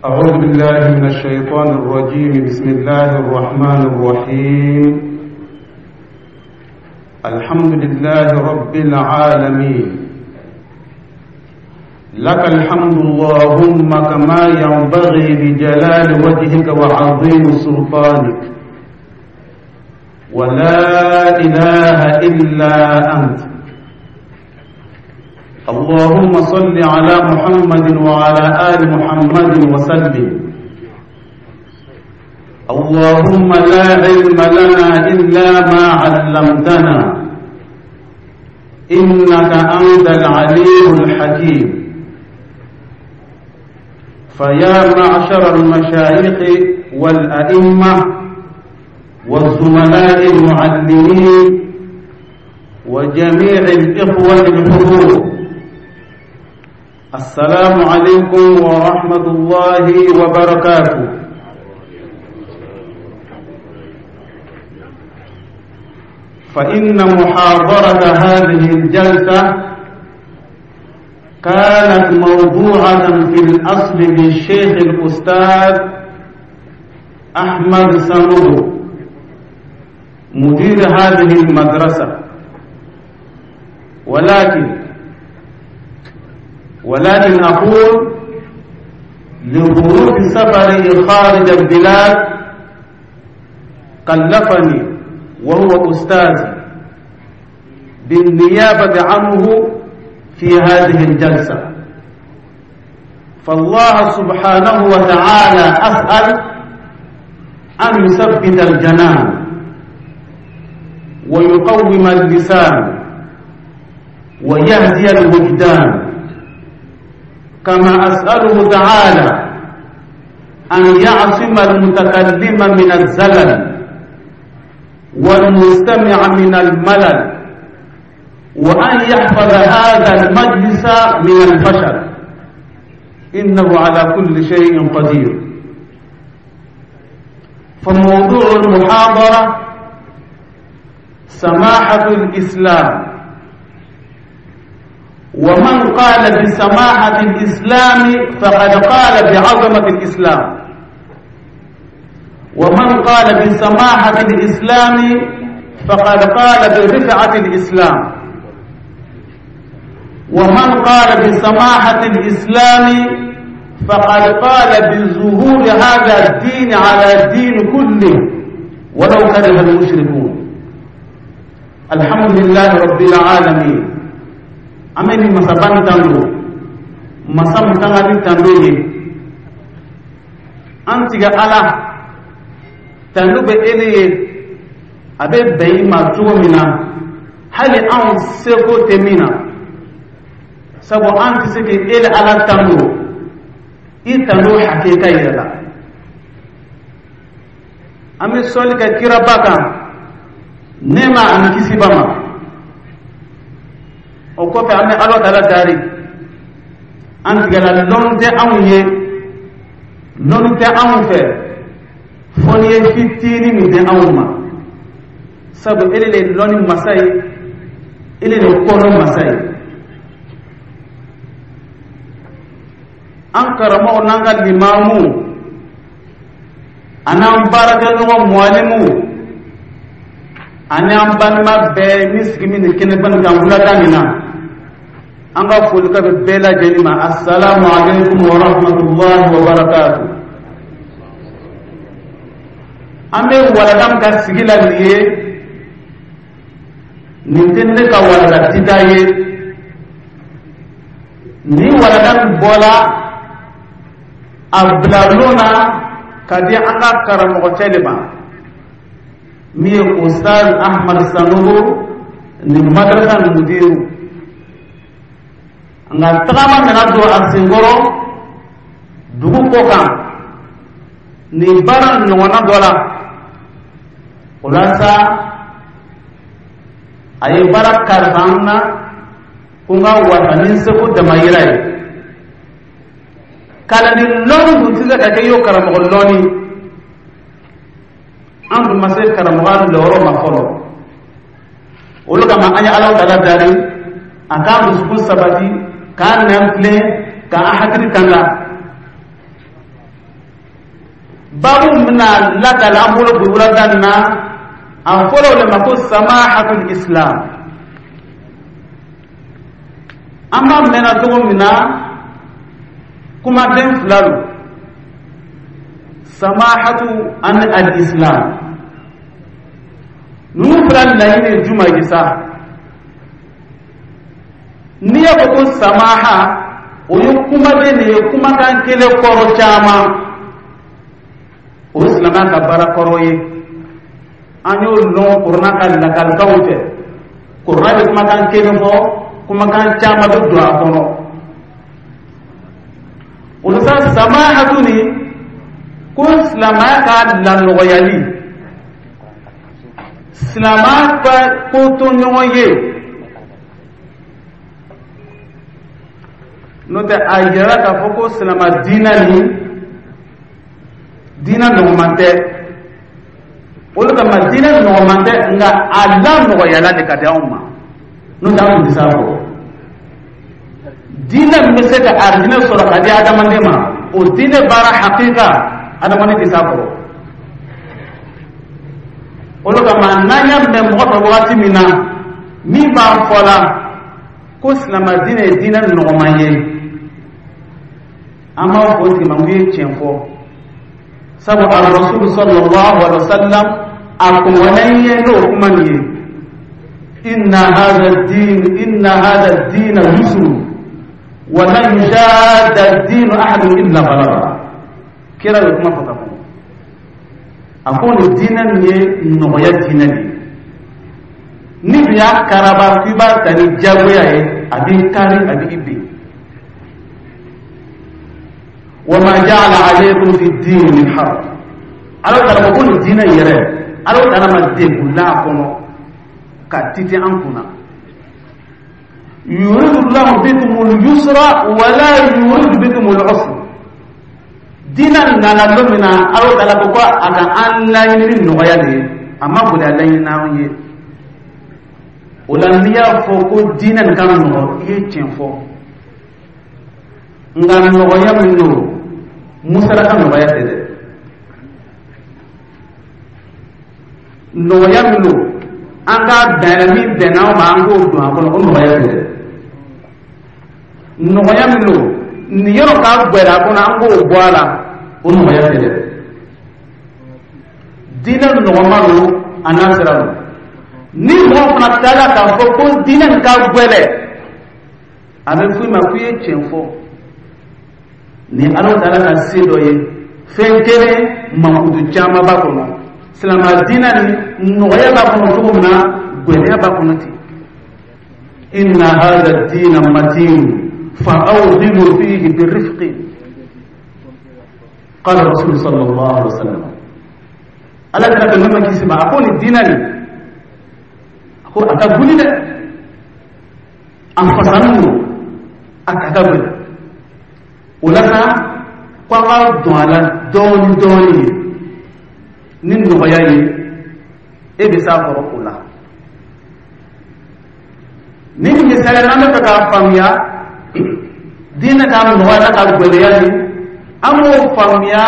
أعوذ بالله من الشيطان الرجيم. بسم الله الرحمن الرحيم. الحمد لله رب العالمين. لك الحمد اللهم كما ينبغي لجلال وجهك وعظيم سلطانك، ولا إله إلا أنت. اللهم صل على محمد وعلى آل محمد وسلم. اللهم لا علم لنا إلا ما علمتنا، إنك أنت العليم الحكيم. فيا معشر المشايخ والأئمة والزملاء المعلمين وجميع الإخوة الحضور، السلام عليكم ورحمة الله وبركاته. فإن محاضرة هذه الجلسة كانت موضوعة في الأصل للشيخ الأستاذ أحمد سانوغو مدير هذه المدرسة، ولكن أقول لظروف سفره خارج البلاد كلفني وهو أستاذي بالنيابة عنه في هذه الجلسة. فالله سبحانه وتعالى أسأل أن يثبت الجنان ويقوم اللسان ويهدي الوجدان، كما أسأله تعالى أن يعصم المتكلم من الزلل والمستمع من الملل، وأن يحفظ هذا المجلس من الفشل، إنه على كل شيء قدير. فموضوع المحاضرة سماحة الإسلام، ومن قال بسماحة الإسلام فقد قال بعظمة الإسلام، ومن قال بسماحة الإسلام فقد قال برفعة الإسلام، ومن قال بسماحة الإسلام فقد قال بظهور هذا الدين على الدين كله ولو كره المشركون. الحمد لله رب العالمين. Ameni masabani tando masa mutangani tando ye an tiga Ala tando bɛ ele ye, a bɛ bɛn i ma cogo min na, hali anw seko tɛ min na, sabu an tɛ se k'ele Ala tando i tando hakika yɛrɛ la. An bɛ sɔli kɛ kiraba kan, nɛɛma ani kisiba ma. O kɔfɛ an bɛ Ala taala dari, an tigɛla lɔnni tɛ anw ye, lɔnni tɛ anw fɛ, fo n'i ye fitinin min di anw ma, sabu ele de ye lɔnni masa ye, ele de ye kɔnɔ masa ye. An karamɔgɔ n'an ka limamu an'an baarakɛɲɔgɔn muwalimu ani an balima bɛɛ min sigi min nin kɛnɛba nin kan wulada nin na, an ka foli ka bɛ bɛɛ lajɛlen ma. Asalaamu aleykum wa rahmatulahi wa barakatu. An bɛ walanda min ka sigi la nin ye, nin tɛ ne ka walanda dita ye. Nin walanda min bɔla a bila lon na ka di an ka karamɔgɔcɛ de ma, min ye Ustaz Ahmad Sanogo nin madrasa nin mudiru. Nka tagama nana don a senkɔrɔ dugu kɔ kan nin baara ɲɔgɔnna dɔ la. O la sa, a ye baara kalifa an na ko n ka wasa ni n seko damayira ye. Kalanden lɔnni dun tɛ se ka kɛ i y'o karamɔgɔ lɔnni. An dun ma se karamɔgɔya lɔyɔrɔ ma fɔlɔ. Olu kama an ye Ala taala dari a k'an dusukun sabati, k'an nɛn tilen, k'an hakili tanga. Babu min bɛna lakali an bolo bi wulada nin na, a fɔra o de ma ko samahatul islam. An b'a mɛnna cogo min na, kumaden fila don, samahatu ani al-islam. Ninnu fila laɲini ye jumɛn ye sa? N'i y'a fɔ ko samaha, o ye kumaden de ye, kumakan kelen kɔrɔ caman. O ye silamɛya ka baara kɔrɔ ye. An y'o lɔn kurana ka lakalikanw fɛ. Kurana bɛ kumakan kelen fɔ, kumakan caman bɛ don a kɔnɔ. O la sa, samahatu ni ko silamɛya ka lanɔgɔyali, silamɛya ka ko to ɲɔgɔn ye. N'o tɛ, a yirala k'a fɔ ko silamɛ diinɛ ni diinɛ nɔgɔman tɛ. O de kama diinɛ nɔgɔman tɛ, nka a lanɔgɔyala de ka di anw ma. N'o tɛ, an tun tɛ s'a kɔrɔ. Diinɛ min bɛ se ka arijinɛ sɔrɔ ka di adamaden ma, o diinɛ baara hakika, adamaden tɛ s'a kɔrɔ. O de kama n'an y'a mɛn mɔgɔ fɛ wagati min na min b'a fɔ la ko silamɛ diinɛ ye diinɛ nɔgɔman ye, an b'a fɔ o tigi ma k'u ye tiɲɛ fɔ, sabu arasulu sallallahu alaihi wa sallam a kɔngɔnna ye n'o kuma nin ye: inna hadha ad-din, inna hadha ad-din yusru wa lan yushadda ad-din ahadun illa ghalaba. Kira ye kuma fɔ ka kɔnɔ, a ko nin diinɛ nin ye nɔgɔya diinɛ de ye. Ni dun y'a karaba k'i b'a ta ni jagoya ye, a b'i kari, a b'i bin. Wa ma ja'ala alaykum fi ad-din min haraj. Ala taala ko nin diinɛ in yɛrɛ, Ala taala ma degun l'a kɔnɔ ka titi an kunna. Yuridu llahu bikumul yusra wala yuridu bikumul usra. Diinɛ nana don min na, Ala taala ko ko a ka an laɲini ni nɔgɔya de ye, a ma gɛlɛya laɲini n'an ye. O la, n'i y'a fɔ ko diinɛ nin ka nɔgɔ, i ye tiɲɛ fɔ. Nka nɔgɔya min don, musala ka nɔgɔya tɛ dɛ. Nɔgɔya min don, an k'a bɛn min bɛnna an ma, an k'o don a kɔnɔ, o nɔgɔya tɛ dɛ. Nɔgɔya min don, nin yɔrɔ ka gwɛlɛ a kɔnɔ, an k'o bɔ a la, o nɔgɔya tɛ dɛ. Diinɛ nɔgɔma don, a n'a sira don. Ni mɔgɔ fana taara k'a fɔ ko diinɛ nin ka gwɛlɛ, a bɛ fɔ i ma k'i ye tiɲɛ fɔ. Ni Ala taala ka se dɔ ye, fɛn kelen mankutu caman b'a kɔnɔ. Silamɛ diinɛ ni nɔgɔya b'a kɔnɔ cogo min na, gwɛlɛya b'a kɔnɔ ten. Inna hadha ad-dina matin fa awghilu fihi birifqi, qala rasul sallallahu alaihi wasallam. Ala kira bɛ nɛɛma kisi ma, a ko nin diinɛ nin, a ko a ka guli dɛ, a fasanin don, a ka ka gɛlɛn. O la sa, ko an ka don a la dɔɔni dɔɔni ye ni nɔgɔya ye, e bɛ s'a kɔrɔ. O la, ni misaliya n'an bɛ fɛ k'a faamuya diinɛ ka nɔgɔya n'a ka gɛlɛya ni, an b'o faamuya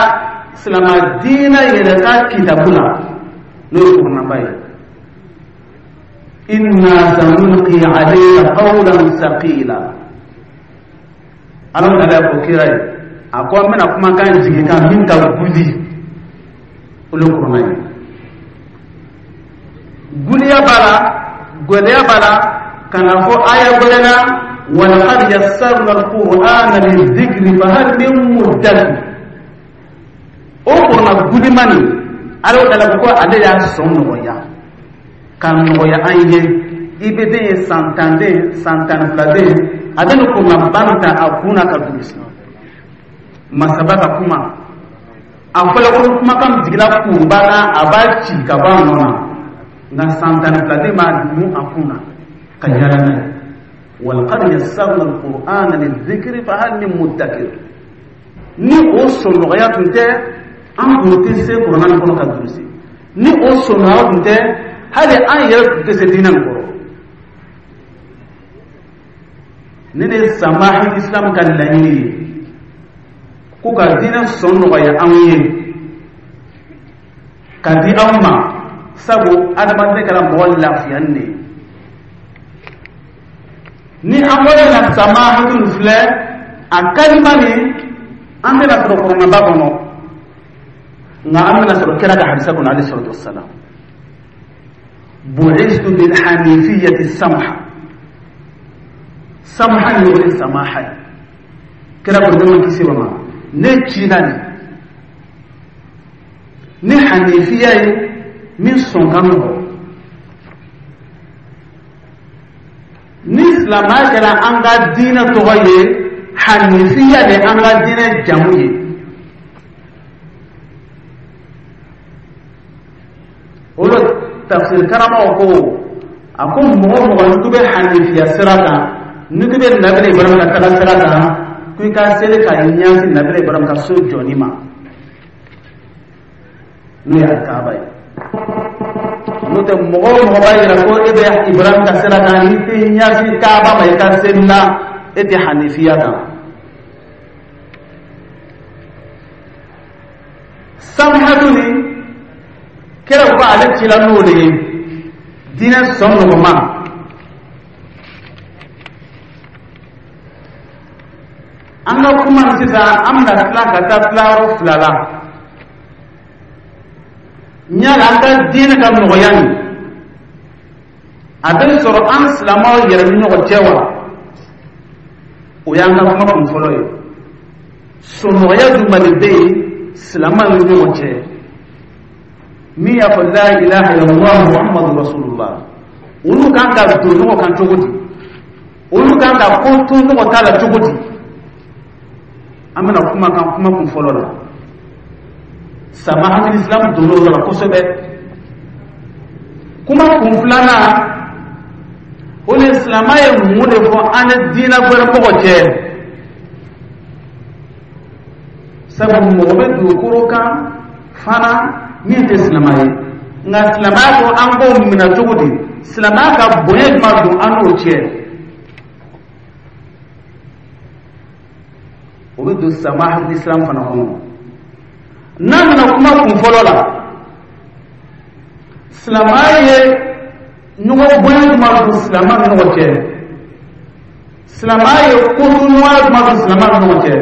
silamɛ diinɛ yɛrɛ ka kitabu la, n'o ye kuranaba ye. Inna sanulqi alayka qawlan thaqila. Ala taala y'a fɔ kira ye, a ko an bɛna kumakan jigin kan min ka guli, o le kurana ye. Guliya b'a la, gɛlɛya b'a la, ka na fɔ aya gwɛrɛ la: walaqad yassarna alqur'ana lizikri fahal min muddakir. O kurana gulima nin, Ala taala ko ale y'a sɔn nɔgɔya ka nɔgɔya an ye. I bɛ den ye, san 10 den, san 12 den, a bɛ nin kuranaba nin ta a kun na ka durusi. Masaba ka kuma a fɔla ko kumakan jiginna kuruba kan, a b'a ci ka bɔ a nɔ na, nka san 12 den b'a mun a kun na ka yaala n'a ye. Walaqad yassarna alqur'ana lizikri fahal min muddakir. Ni o sɔnɔgɔya tun tɛ, an tun tɛ se kurana nin kɔnɔ ka durusi. Ni o sɔnɔgɔya tun tɛ, hali an yɛrɛ tun tɛ se diinɛ nin kɔrɔ. Ne de ye samahi islam ka laɲini ye ko ka diinɛ sɔn nɔgɔya anw ye. Ka di anw ma, sabu adamaden kɛra mɔgɔ lafiyani de ye. Ni an bɔra na samahatu filɛ, a kalima nin, an bɛna sɔrɔ kuranɛba kɔnɔ, nka an bɛna sɔrɔ kira ka hadisa kɔnɔ, alayhi salatu wassalam. Bu'istu bil hanifiyati samha. Samha ni o ye samaha ye. Kira ko nɛɛma kisi b'a ma, ne cila nin ni hanifiya ye min sɔn ka nɔgɔ. Ni silamɛya kɛra an ka diinɛ tɔgɔ ye, hanifiya de an ka diinɛ jamu ye. O la tafsir karamɔgɔ ko, a ko mɔgɔ o mɔgɔ n'i ko bɛ hanifiya sira kan, n'i ko bɛ nabila Ibrahima ka taga sira kan, ko i ka seli ka ɲɛsin nabila Ibrahima ka so jɔli ma, n'o ye alikaaba ye. N'o tɛ, mɔgɔ o mɔgɔ b'a yira ko e bɛ Ibrahima ka sira kan, n'i tɛ ɲɛsin kaaba ma i ka seli la, e tɛ hanifiya kan. Samhatu ni kira ko ale cila n'o de ye, diinɛ sɔn nɔgɔma. An ka kuma nin sisan, an bɛna tila ka taa tilayɔrɔ fila la. Yala an ka diinɛ ka nɔgɔya nin, a bɛ sɔrɔ an silamɛw yɛrɛ ni ɲɔgɔn cɛ wa? O y'an ka kuma kun fɔlɔ ye. Sɔnɔgɔya jumɛn de bɛ yen silamɛw ni ɲɔgɔn cɛ? Min y'a fɔ la ilaha illallah muhammadu rasulullah, olu kan ka don ɲɔgɔn kan cogo di? Olu kan ka ko to ɲɔgɔn ta la cogo di? An bɛna kuma kan kuma kun fɔlɔ la. Samahatul islam donn'o yɔrɔ la kosɛbɛ. Kuma kun filanan, o de silamɛ ye mun de fɔ an ni diinɛ wɛrɛ mɔgɔ cɛ? Sabu mɔgɔ bɛ dugukolo kan fana min tɛ silamɛ ye, nka silamɛya ko an k'o minɛ cogo di? Silamɛya ka bonya jumɛn don an n'o cɛ? O bɛ don samahatul islam fana kɔnɔ. N'an nana kuma kun fɔlɔ la, silamɛya ye ɲɔgɔn bonya jumɛn don silamɛ ni ɲɔgɔn cɛ? Silamɛya ye kotoɲɔgɔnya jumɛn don silamɛ ni ɲɔgɔn cɛ?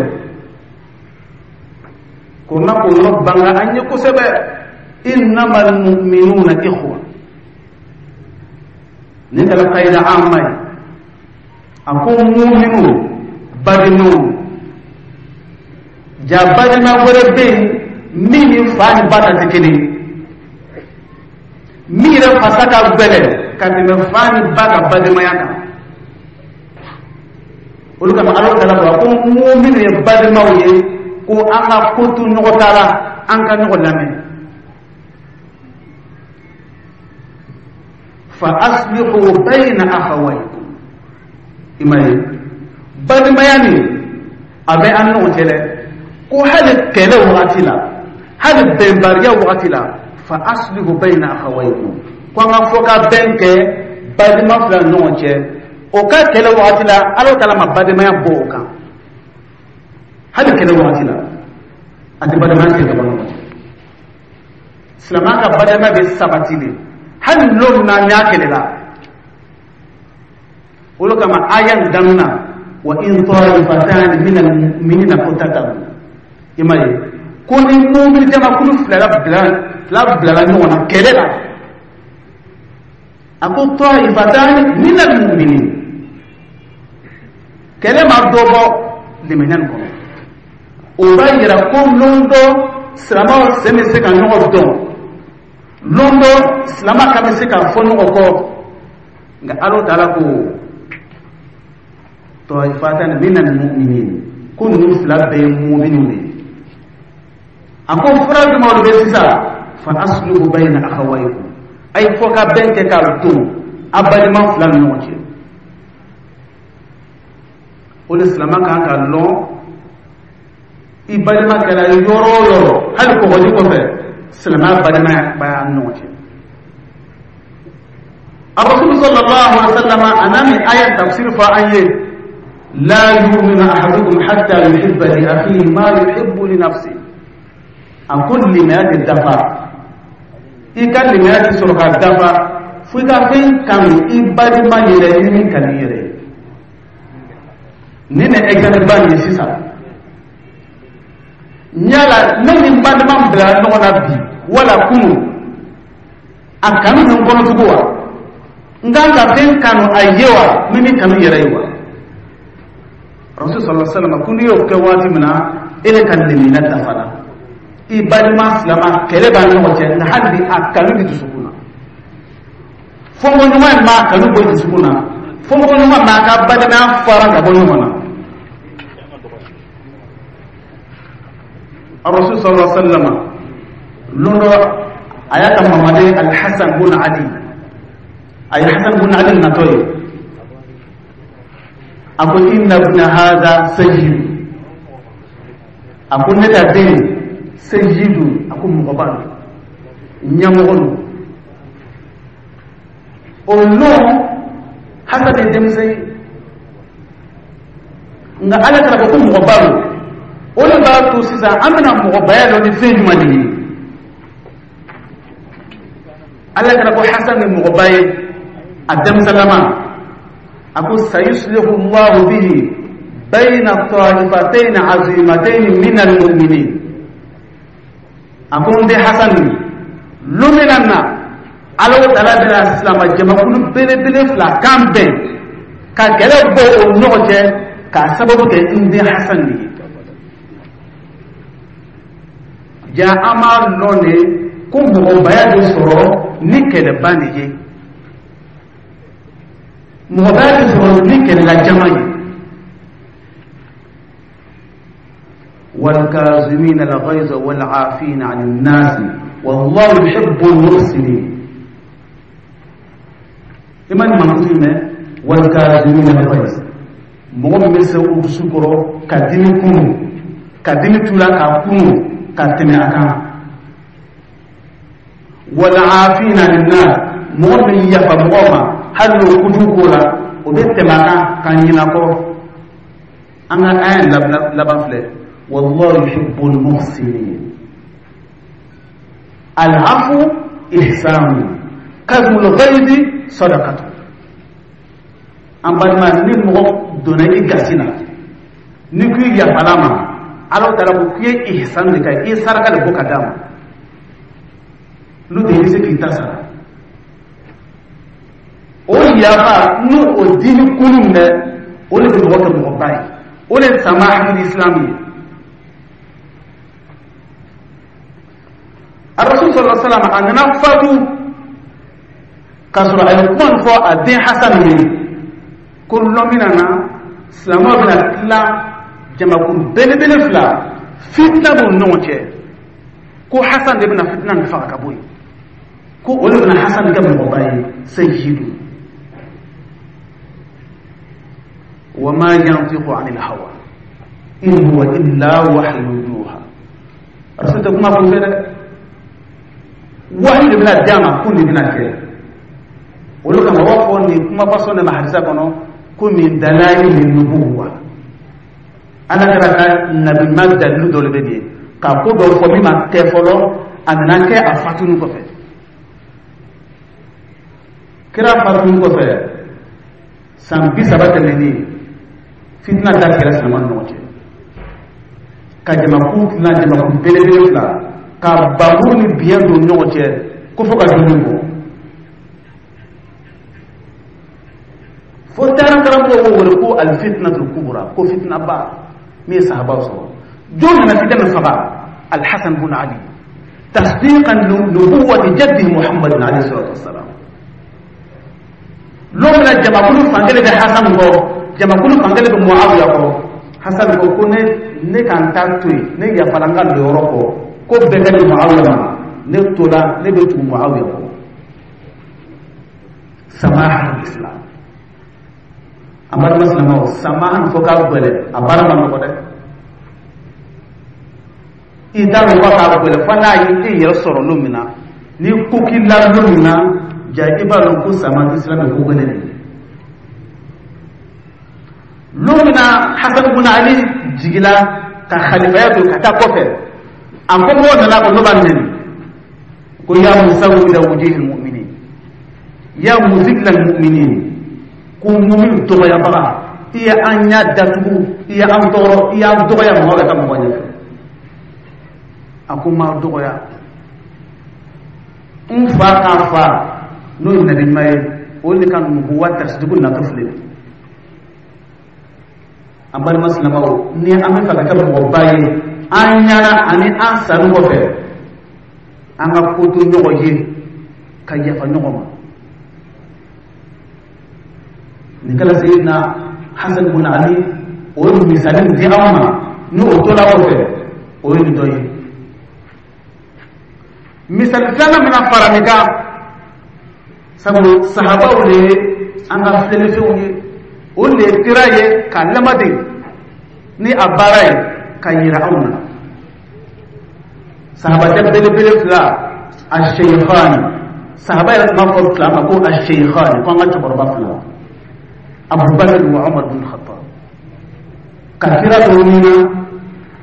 Kurana k'o yɔrɔ banga an ye kosɛbɛ. Innamal mu'minuna ikhwa, nin kɛra kayida amma ye. A ko muminu balimaw, ja balima wɛrɛ bɛ yen min ni fa ni ba ta tɛ kelen ye, min yɛrɛ fasa ka gɛlɛn ka tɛmɛ fa ni ba ka balimaya kan. Olu kama Ala taala ko, a ko muminu ye balimaw ye, ko an ka ko to ɲɔgɔn ta la, an ka ɲɔgɔn lamɛn. Fa aslihu bayna akhawaykum. I m'a ye, balimaya nin a bɛ an ɲɔgɔn cɛ dɛ. Ko hali kɛlɛ wagati la, hali bɛnbaliya wagati la, fa aslihu bayna akhawaykum, ko an ka fɔ ka bɛn kɛ balima fila ni ɲɔgɔn cɛ. O ka kɛlɛ wagati la, Ala taala ma balimaya bɔ o kan. Hali kɛlɛ wagati la, a tɛ balimaya tigɛ ka bɔ ɲɔgɔn cɛ. Silamɛya ka balimaya bɛ sabati de hali lon min na n'a kɛlɛla. Olu kama aya nin daminɛ, wa in ta'ifatani min al-mu'minina iqtatalu. I m'a ye ko ni mumini jamakulu fila bilala ɲɔgɔn na kɛlɛ la, a ko ta'ifatani min al-mu'minin, kɛlɛ ma dɔ bɔ limaniya nin kɔnɔ. O b'a yira ko lon dɔ silamɛw sen bɛ se ka ɲɔgɔn dɔn, lon dɔ silamɛ kan bɛ se ka fɔ ɲɔgɔn kɔ. Nka Ala taala ko ta'ifatani min al-mu'minin, ko ninnu fila bɛɛ ye muminiw de ye. A ko fura jumɛn de bɛ sisan? Fa aslihu bayna akhawaykum, a ye fɔ ka bɛn kɛ k'a don a balima fila ni ɲɔgɔn cɛ. O de silamɛ kan ka lɔn, i balima kɛra yɔrɔ o yɔrɔ, hali kɔgɔji kɔfɛ, silamɛya balimaya b'a ni ɲɔgɔn cɛ. Arasul sallallahu alaihi wa sallam a n'a ni aya tafsir fɔ an ye, la yu'minu ahadukum hatta yuhibba li akhihi ma yuhibbu li nafsihi. A ko limaya tɛ dafa I ka limaniya ti sɔrɔ ka dafa fo i ka fɛn kanu i balima yɛrɛ ye min kanu i yɛrɛ ye. Nin de exemple ba nin ye sisan. Yala ne ni n balima bila ɲɔgɔn na bi wala kunu, a kanu bɛ n kɔnɔ tugun wa? N kan ka fɛn kanu a ye wa min bɛ kanu yɛrɛ ye wa? Rasul sallallahu alaihi wasallam ko n'i y'o kɛ waati min na, e de ka limaniya dafara. I balima silama, kɛlɛ b'a ɲɔgɔn cɛ, nka hali bi a kanu bɛ dusukun na. Fɔnkɔɲɔgɔn in b'a kanu bɔ dusukun na, fɔnkɔɲɔgɔn b'a ka balimaya fara ka bɔ ɲɔgɔn na. Rasul sallallahu alaihi wasallam lon dɔ, a y'a ka mamaden Alhasan bun Ali, a ye Hasan bun Ali natɔ ye, a ko: "Inna ibna hadha sayyid." A ko: "Ne ka den sayyidu." A ko mɔgɔba don, ɲɛmɔgɔ don. O lon Hasan ye denmisɛn ye, nka Ala kɛra ko mɔgɔba don. O de b'a to sisan an bɛna mɔgɔbaya dɔn ni fɛn jumɛn de ye. Ala kɛra ko Hasan ye mɔgɔba ye a denmisɛnlama. A ko: "Sayuslihu Allahu bihi bayna taifatayn azimatayn min almu'minin." A ko: "N den Hasan nin, lon min na Ala taala bɛna silama jamakulu belebele fila kan bɛn ka kɛlɛ bɔ o ɲɔgɔn cɛ k'a sababu kɛ n den Hasan de ye." Ja an b'a lɔn de ko mɔgɔbaya bɛ sɔrɔ ni kɛlɛba de ye, mɔgɔbaya bɛ sɔrɔ ni kɛlɛla jama ye. والكاظمين الغيظ والعافين عن الناس والله يحب المحسنين. Iman mankutu mɛ والكاظمين الغيظ, mɔgɔ min bɛ se o dusu kɔrɔ ka dimi kunu, ka dimi tu la k'a kunu ka tɛmɛ a kan. والعافين عن الناس, mɔgɔ min yafa mɔgɔ ma hali n'o kojugu ko la, o bɛ tɛmɛ a kan ka ɲinɛ kɔ. An ka aya laban filɛ: والله يحب المحسنين. العفو إحسان, كظم الغيظ صدقة. An balima, ni mɔgɔ donna i gasi la, ni ko i yafala ma, Ala taala ko k'i ye ihsan de kɛ, i ye saraka de bɔ ka d'a ma. N'o tɛ, i bɛ se k'i ta sara. O yafa n'o o dimi kunu minɛ, o de bɛ mɔgɔ kɛ mɔgɔba ye, o de ye samahatul islam ye. Rasul sallallahu alaihi wasallam a nana fatu k'a sɔrɔ a ye kuma nin fɔ a den Hasan ye ko lɔn min na silamɛw bɛna tila jamakulu belebele fila, fitina b'u ni ɲɔgɔn cɛ, ko Hasan de bɛna fitina nin faga ka bɔ yen, ko o de bɛna Hasan kɛ mɔgɔba ye, sayyidu. Wa ma yantiqu anil hawa in huwa illa wahyu yuha. Rasul tɛ kuma kun fɛ dɛ, wahi de bɛna di a ma ko nin bɛna kɛ. Olu kama u b'a fɔ nin kuma fasɔn de ma hadisa kɔnɔ ko min dalaili nubuwa, Ala kɛra ka nabiɲuman dalilu dɔ de bɛ nin ye ka ko dɔ fɔ min ma kɛ fɔlɔ, a nana kɛ a fatuni kɔfɛ. Kira fatuni kɔfɛ san 30 tɛmɛnen, fitina datigɛra silamɛw ni ɲɔgɔn cɛ ka jamakulu tila jamakulu belebele fila, ka bamuru ni biɲɛ don ɲɔgɔn cɛ ko fo ka dumuni bɔ. Fo taara karamɔgɔw b'o wele ko alfitnatul kubra, ko fitina ba min ye sahabaw sɔrɔ. Jɔn nana fitina min faga? Alhasan bun Ali, tasdiqan nubuwati jaddihi Muhammadin alayhi salatu wassalam. Lon min na jamakulu fankelen bɛ Hasan kɔ, jamakulu fankelen bɛ Muawiya kɔ, Hasan ko ko ne ka n ta to yen, ne yafala n ka lɔyɔrɔ kɔ, ko bɛɛ ka di Muawiya ma, ne tola ne bɛ tugu Muawiya kɔ. Samaha islam. An balima silamɛw, samaha fɔ k'a gɛlɛn, a baara ma nɔgɔ dɛ. I t'a dɔn k'a gɛlɛn fo n'a ye e yɛrɛ sɔrɔ don min na, ni ko k'i la don min na, ja i b'a dɔn ko samaha islam ye ko gɛlɛn de ye. Lon min na Hasan bun Ali jigila ka khalifaya to ka taa kɔfɛ, a ko mɔgɔw nana ko n'o b'a nɛni. Ko ya musawwida wujuhil mu'minin, ya muzilla al-mu'minin, ko mu'min dɔgɔyabaga, i ye an ɲa datugu, i ye an tɔɔrɔ, i y'an dɔgɔya mɔgɔ bɛ ka mɔgɔ ɲɛfɛ. A ko n m'aw dɔgɔya, n fa k'a fa n'o ye nabi ɲuman ye, o de ka nubuwa tasidiku natɔ filɛ. An balima silamɛw, ni an bɛ fɛ ka kɛ mɔgɔba ye an ɲɛna ani an sanni kɔfɛ, an ka ko to ɲɔgɔn ye ka yafa ɲɔgɔn ma. Nin kɛla Seyidina Hasan bun Ali, o ye misali min di anw ma, ni o tola kɔfɛ, o ye nin dɔ ye. Misali filanan bɛna fara nin kan, sabu sahabaw de ye an ka filɛlifɛnw ye, o de ye kira ye k'a lamaden ni a baara ye ka yira anw na. Sahabacɛ belebele fila, a sheykhani, sahaba yɛrɛ tun b'a fɔ fila ma ko a sheykhani, ko an ka cɛkɔrɔba fila, Abubakar wa Umar bin Khattab. Ka kira to min na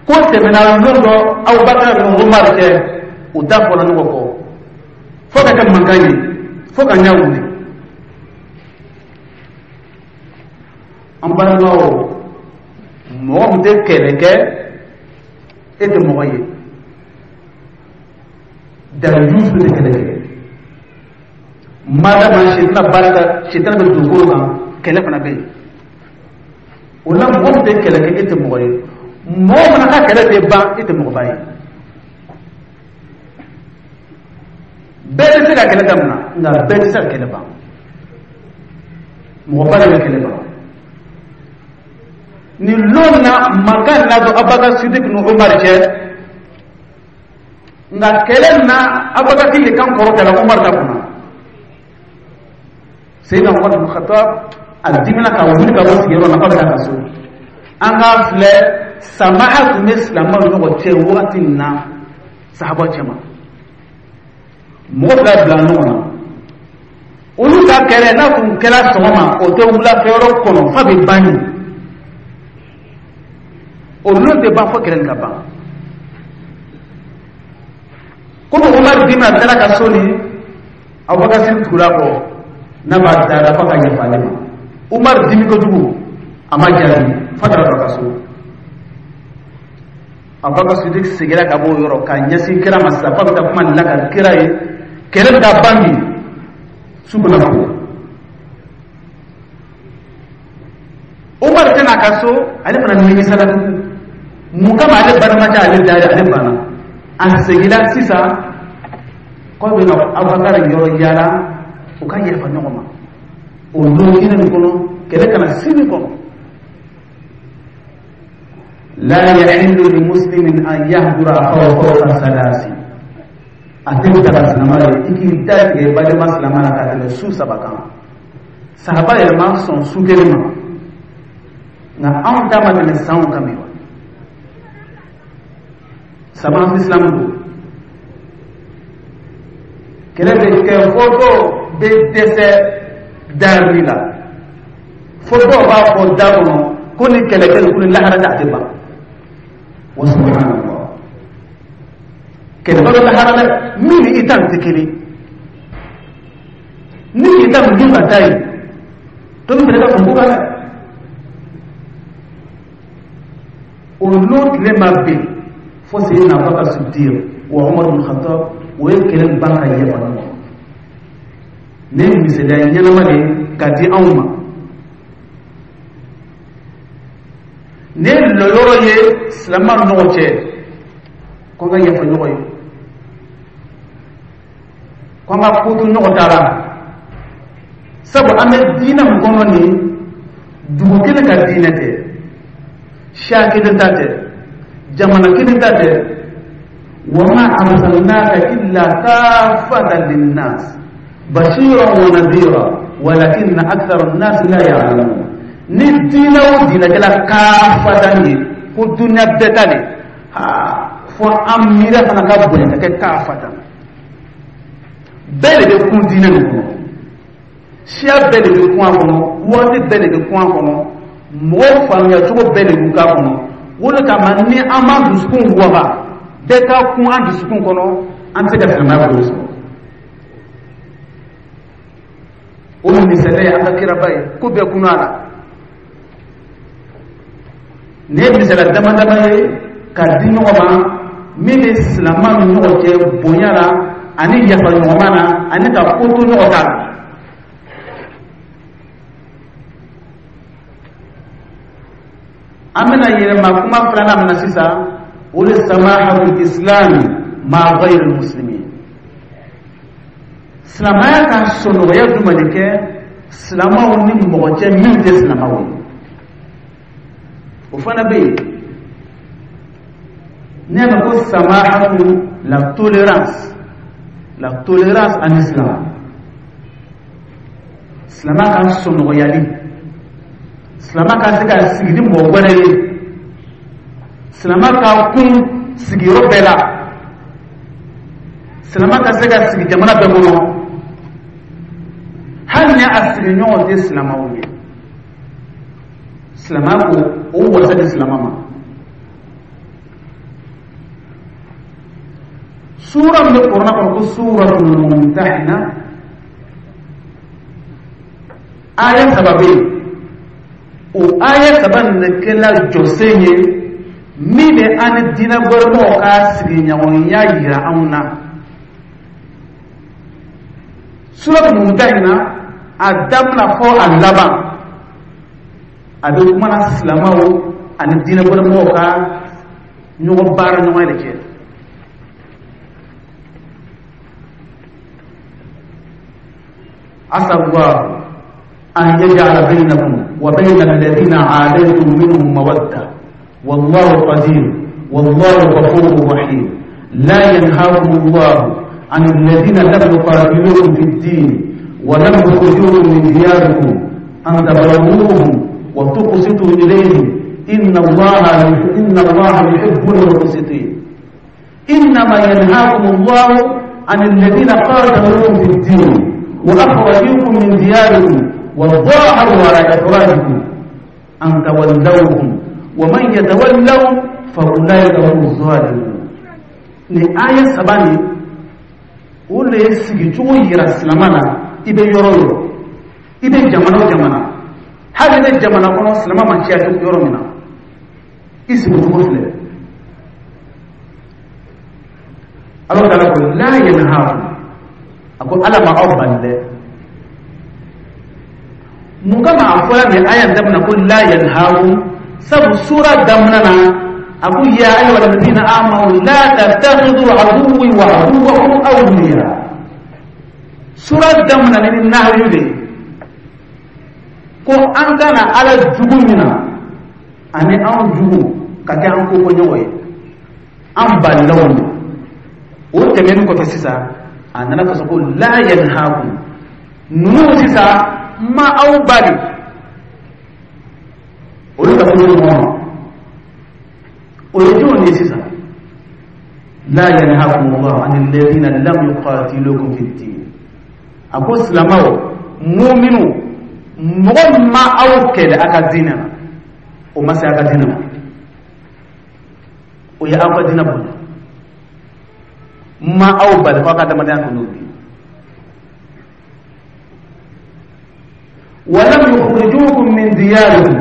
ko tɛmɛna lon dɔ Abubakar ni Umar cɛ, u da fɔra ɲɔgɔn kɔ fo ka kɛ mankan ye, fo ka ɲɛ wuli. An balimaw, mɔgɔ min tɛ kɛlɛ kɛ, e tɛ mɔgɔ ye. Dalilu tɛ kɛlɛ kɛ, madama sitana barika, sitana bɛ dugukolo kan, kɛlɛ fana bɛ yen. O la mɔgɔ min tɛ kɛlɛ kɛ, e tɛ mɔgɔ ye. Mɔgɔ fana ka kɛlɛ tɛ ban, e tɛ mɔgɔba ye. Bɛɛ bɛ se ka kɛlɛ daminɛ, nka bɛɛ tɛ se ka kɛlɛ ban. Mɔgɔba de bɛ kɛlɛ ban. Nin lon na mankan na don Abubakar Sidik ni Umar cɛ, nka kɛlɛ na Abubakar de kan kɔrɔtala Umar ta kunna. Seyidina Umar bin Khattab a dimina ka wuli ka bɔ sigiyɔrɔ la k'a bɛ taa ka so. An k'a filɛ, samaha tun bɛ silamɛw ni ɲɔgɔn cɛ wagati min na, sahaba cɛma mɔgɔ fila bila ɲɔgɔn na, olu ka kɛlɛ n'a tun kɛra sɔgɔma, o tɛ wulafɛyɔrɔ kɔnɔ f'a bɛ ban yen. O lon tɛ ban fo kɛlɛ nin ka ban. Komi Umar dimina, a taara ka so ni Abubakar Sidik tugura kɔ, n'a b'a dara f'a ka yafa ale ma. Umar dimi kojugu, a ma jaabi f'a taara don a ka so. Abubakar Sidik seginna ka bɔ o yɔrɔ ka ɲɛsin kira ma sisan, f'a bɛ taa kuma nin lakali kira ye, kɛlɛ bɛ taa ban bi, su bɛna ko. Umar tɛna a ka so, ale fana nimisala tugun. Mun kama ale balimakɛ ale da ye, ale banna. A seginna sisan k'aw bɛna Abubakar yɔrɔ yaala, u ka yafa ɲɔgɔn ma o don kelen nin kɔnɔ, kɛlɛ kana sini kɔnɔ. La yahillu li muslimin an yahdura akhahu fawqa salasi. A tɛ daga silama ye i k'i da tigɛ balima silama la ka tɛmɛ su 3 kan. Sahaba yɛrɛ ma sɔn su kelen ma, nka anw ta ma tɛmɛ sanw kan bi wa. Saba fi silamu don, kɛlɛ bɛ kɛ fo dɔw bɛ dɛsɛ darili la, fo dɔw b'a fɔ da kɔnɔ ko ni kɛlɛ kɛ ko ni lahara tɛ, a tɛ ban. Wa subhanallah, kɛlɛ bɛ lahara dɛ, min ni i ta nin tɛ kelen, ni i ta nin dun ka taa yen, dɔ bɛ fɛnɛ ka fɔ ko kan dɛ. O lon tile ma bɛn fo Seyidina Abubakar Sidiq wa Umar bin Khattab, o ye kɛlɛ ban ka yafa ɲɔgɔn ma. Nin ye misaliya ɲɛnama de ye ka di anw ma. Nin ye lɔyɔrɔ ye silamɛw ni ɲɔgɔn cɛ, ko an ka yafa ɲɔgɔn ye, ko an ka ko to ɲɔgɔn ta la, sabu an bɛ diinɛ min kɔnɔ nin, dugu kelen ka diinɛ tɛ, siya kelen ta tɛ, jamana kelen ta tɛ. Wa ma arsalnaka illa kaffatan linnas bashiran wa nadhira walakinna akthara an-nas la ya'lamun. Ni diinɛ o diinɛ kɛla kaffatan ye, ko dunuya bɛɛ ta de, fo an miiriya fana ka bonya ka kɛ kaffatan. Bɛɛ de bɛ kun diinɛ nin kɔnɔ, siya bɛɛ de bɛ kun a kɔnɔ, waati bɛɛ de bɛ kun a kɔnɔ, mɔgɔw faamuya cogo bɛɛ de bɛ k'a kɔnɔ. O de kama ni an m'an dusukun waga, bɛɛ ka kun an dusukun kɔnɔ, an tɛ se ka silamɛya bolo sɔrɔ. O misaliya ye an ka kiraba ye, ko bɛɛ kunna a la. Nin ye misaliya dama dama ye ka di ɲɔgɔn ma min bɛ silama ni ɲɔgɔn cɛ bonya la ani yafa ɲɔgɔnma na ani ka ko to ɲɔgɔn ta la. An bɛna yɛlɛma kuma filanan min na sisan, o de samahatul islami ma ghayri muslimin. Silamɛya ka sɔnɔgɔya jumɛn de kɛ silamɛw ni mɔgɔ cɛ min tɛ silamɛw ye? O fana bɛ yen. N'i y'a mɛn ko samahatu, la tolérance, la tolérance en islam, silamɛ ka sɔnɔgɔyali, silamɛ ka se ka sigi ni mɔgɔ wɛrɛ ye, silamɛ ka kun sigiyɔrɔ bɛɛ la, silamɛ ka se ka sigi jamana bɛɛ kɔnɔ, hali ni a sigiɲɔgɔn tɛ silamɛw ye. Silamɛ ko o wasa di silamɛ ma. Sura min bɛ kurana kɔnɔ ko suratul mumtahina, aya 3 bɛ yen. O aya 3 nin de kɛla jɔsen ye min bɛ an ni diinɛ wɛrɛmɔgɔw ka sigiɲɔgɔnya yira anw na. Suratul mumtahina, a daminɛ fɔ a laban, a bɛ kuma na silamɛw ani diinɛ wɛrɛmɔgɔw ka ɲɔgɔn baara ɲɔgɔn de cɛ. Asa Allah an yaj'ala bainakum wa bayna alladhina 'adaytum minhum mawadda wallahu qadir wallahu ghafurur rahim. La yanhaakum Allah 'an alladhina lam yuqatilukum fid din wa lam yukhrijukum min diyarikum an tabarruhum wa tuqsitu ilayhim inna Allaha yuhibbul muqsitin. Innama yanhaakum Allah 'an alladhina qataluukum fid din wa akhrajukum min diyarikum wa dhaharu 'ala ikhrajikum an tawallawhum wa man yatawallawhum fa ulaika humuz zalimun. Ni aya 3 nin, o de ye sigicogo yira silamɛ la. I bɛ yɔrɔ o yɔrɔ, i bɛ jamana o jamana, hali i bɛ jamana kɔnɔ silamɛ ma caya yɔrɔ min na, i sigicogo filɛ. Ala taala ko la yanhaakum, a ko Ala ma aw bali dɛ. Mun kama a fɔra nin aya in daminɛ ko la yanhaakum? Sabu sura daminɛ na a ko ya ayyuha alladhina amanu la tattakhidhu aduwwi wa aduwwakum awliya. Sura daminɛ ni nahyu de ye ko an kana Ala jugu mina ani anw jugu ka kɛ an ko ɲɔgɔn ye, an balilaw ye. O tɛmɛnen kɔfɛ sisan, a nana fɔ ko la yanhaakum, ninnu sisan ma aw bali olu ka furu ɲɔgɔn ma. O ye jumɛn ye sisan? La yanhaakum Allahu anil ladhina lam yuqatilukum fid din. A ko silamɛw, muminu, mɔgɔ min ma aw kɛlɛ a ka diinɛ na, o ma se a ka diinɛ ma, o ye aw ka diinɛ bonya. Ma aw bali ko aw ka adamadenya kɛ n'o ye. Wa lam yukhrijukum min diyarikum,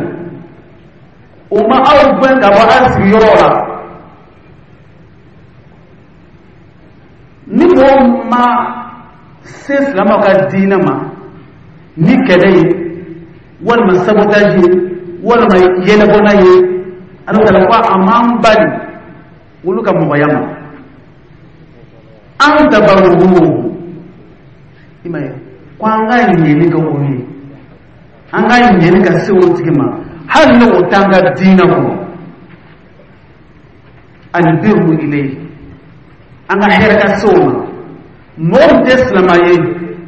o ma aw gɛn ka bɔ aw sigiyɔrɔ la. Ni mɔgɔ ma se silamɛw ka diinɛ ma ni kɛlɛ ye, walima sabotage ye, walima yɛlɛbɔnna ye, Ala taala ko a m'an bali olu ka mɔgɔya ma. An tabarruhum, i m'a ye ko an ka ɲɛni kɛ o ye, an ka ɲɛni ka se o tigi ma hali ni o t'an ka diinɛ kɔnɔ. Albirru ilayhi, an ka hɛrɛ ka se o ma. Mɔgɔ min tɛ silamɛ ye,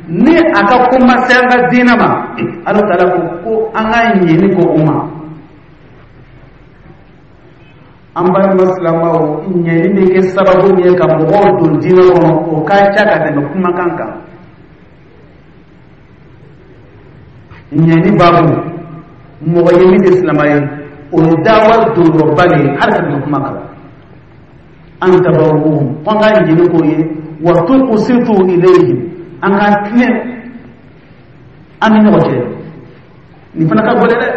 ni a ka ko ma se an ka diinɛ ma, Ala taala ko ko an ka ɲɛni kɛ o ma. An balima silamɛw, ɲɛni bɛ kɛ sababu min ye ka mɔgɔw don diinɛ kɔnɔ, o ka ca ka tɛmɛ kumakan kan. Ɲɛni baabu, mɔgɔ ye min tɛ silamɛ ye, o ye dawa donyɔrɔba de ye hali ka tɛmɛ kuma kan. An tabarruhum, ko an ka ɲɛni k'o ye, wa tuqsitu ilayhim, an ka tilen An ni ɲɔgɔn cɛ, nin fana ka gɛlɛn dɛ.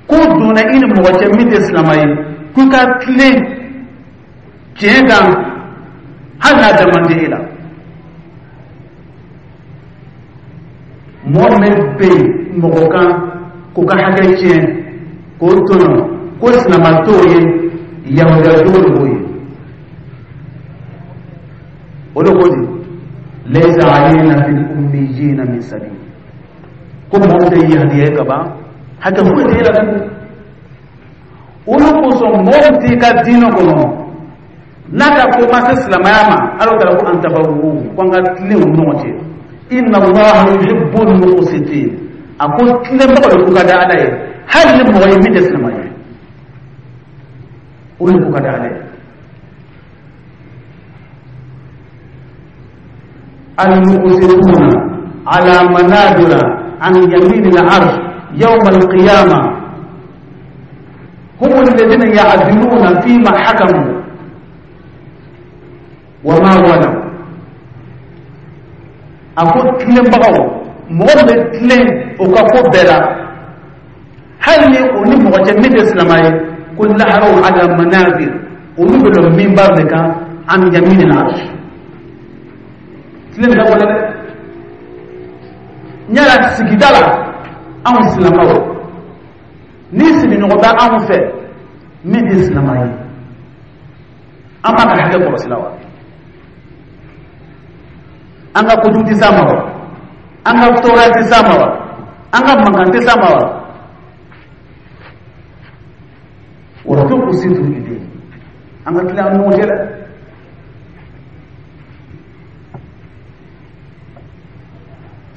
Ko donna i ni mɔgɔ cɛ min tɛ silamɛ ye, k'i ka tilen tiɲɛ kan hali n'a da man di e la. Mɔgɔ min bɛ yen mɔgɔ kan k'o ka hakɛ tiɲɛ, k'o tɔɲɔ, ko silamɛ t'o ye, yahudiya jogo de b'o ye. O de ko di laysa alayna fil ummiyina min sabil, ko mɔgɔw tɛ yahudiya ye ka ban, hakɛ foyi tɛ e la tugun. Olu kosɔn mɔgɔw t'i ka diinɛ kɔnɔ n'a ka ko ma se silamɛya ma, Ala taala ko an tabarru, ko an ka tilen u ni ɲɔgɔn cɛ. Inna Allaha yuhibbul muqsitin, a ko tilenbagaw de ko ka di Ala ye, hali ni mɔgɔ ye min tɛ silamɛ ye, o de ko ka di Ala ye. Al-muqsituna ala manabira an yamin al-arsh yawm al-qiyamah hum alladhina ya'diluna fima hakamu wa ma walaw. A ko tilenbagaw, mɔgɔ min bɛ tilen o ka ko bɛɛ la, hali ni o ni mɔgɔ cɛ min tɛ silamɛ ye, ko laharaw ala manabir, olu bɛ lɔ minbar de kan an yamin al-arsh. Tilen ka gɛlɛn dɛ. Yala sigida la anw silamɛw, ni sigiɲɔgɔn bɛ anw fɛ min tɛ silamɛ ye, an b'a ka hakɛ kɔlɔsi la wa? An ka kojugu tɛ s'a ma wa? An ka tɔɔrɔya tɛ s'a ma wa? An ka mankan tɛ s'a ma wa? Wa tuqsitu ilayhi, an ka tilen an ni ɲɔgɔn cɛ dɛ.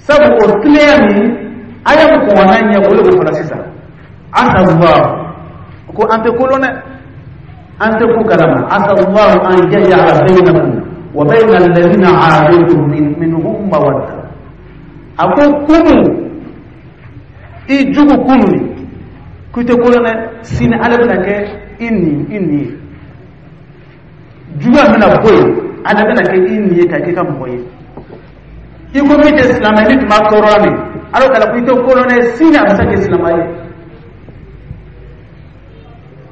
Sabu o tilenya nin aya min kɔnna ɲɛ, o de b'o fana sisan. Asa Allah, ko an tɛ kolon dɛ, an tɛ ko kalama. Asa Allah an yaj'ala bainakum wa bayna alladhina aadaytum minhum mawadda. A ko kunu i jugu kunu ni ko i tɛ kolon dɛ, sini Ala bɛna kɛ i ni i ni ye, juguya bɛna bɔ yen, Ala bɛna kɛ i ni ye ka kɛ i ka mɔgɔ ye. I ko min tɛ silamɛ ni tun b'a tɔɔrɔ la min, Ala taala ko i tɛ kolon dɛ, sini a bɛ se ka kɛ silamɛ ye.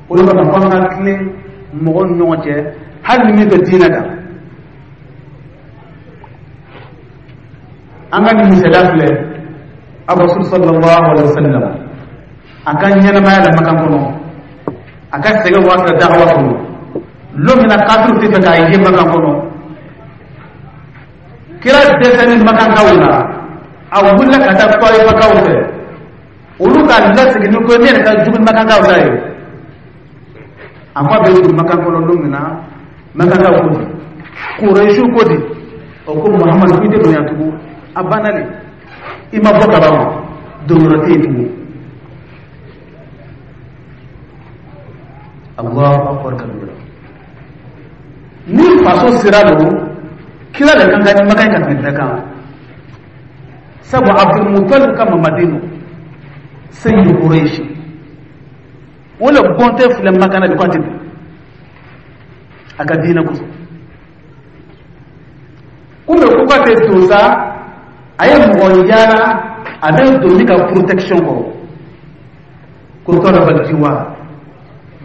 O de kama f'an ka tilen mɔgɔw ni ɲɔgɔn cɛ, hali ni min tɛ diinɛ kan. An ka nin misaliya filɛ, Rasul sallallahu alaihi wa sallam a ka ɲɛnamaya la Makan kɔnɔ, a ka sɛgɛn waati la da'awa kɔnɔ, lon min na kafiriw tɛ fɛ k'a ye Makan kɔnɔ, kira dɛsɛni Makankaw la, a wulila ka taa Tɔyifakaw fɛ, olu k'a lasigi ni ko ye min yɛrɛ ka jugu ni Makankaw ta ye. A ko a bɛ don Makan kɔnɔ don min na, Makankaw ko di, Kurɛsiw ko di, o ko Muhamadu k'i tɛ don yan tugun, a banna de, i ma bɔ kaban wa, donyɔrɔ tɛ yen tugun. Allahu akbar kabira. Ni faso sira don, kira de kan ka ni Makan ka tɛmɛ bɛɛ kan, sabu Abdul Muttalib ka mamaden don, Sayyidu Quraish, o le bɔntɛ filɛ Makan na bi ko a tɛ don a ka diinɛ kosɔn. Komi ko k'a tɛ don sa, a ye mɔgɔ yaala a bɛ don ni ka protection kɔrɔ, ko tɔlaba jiwa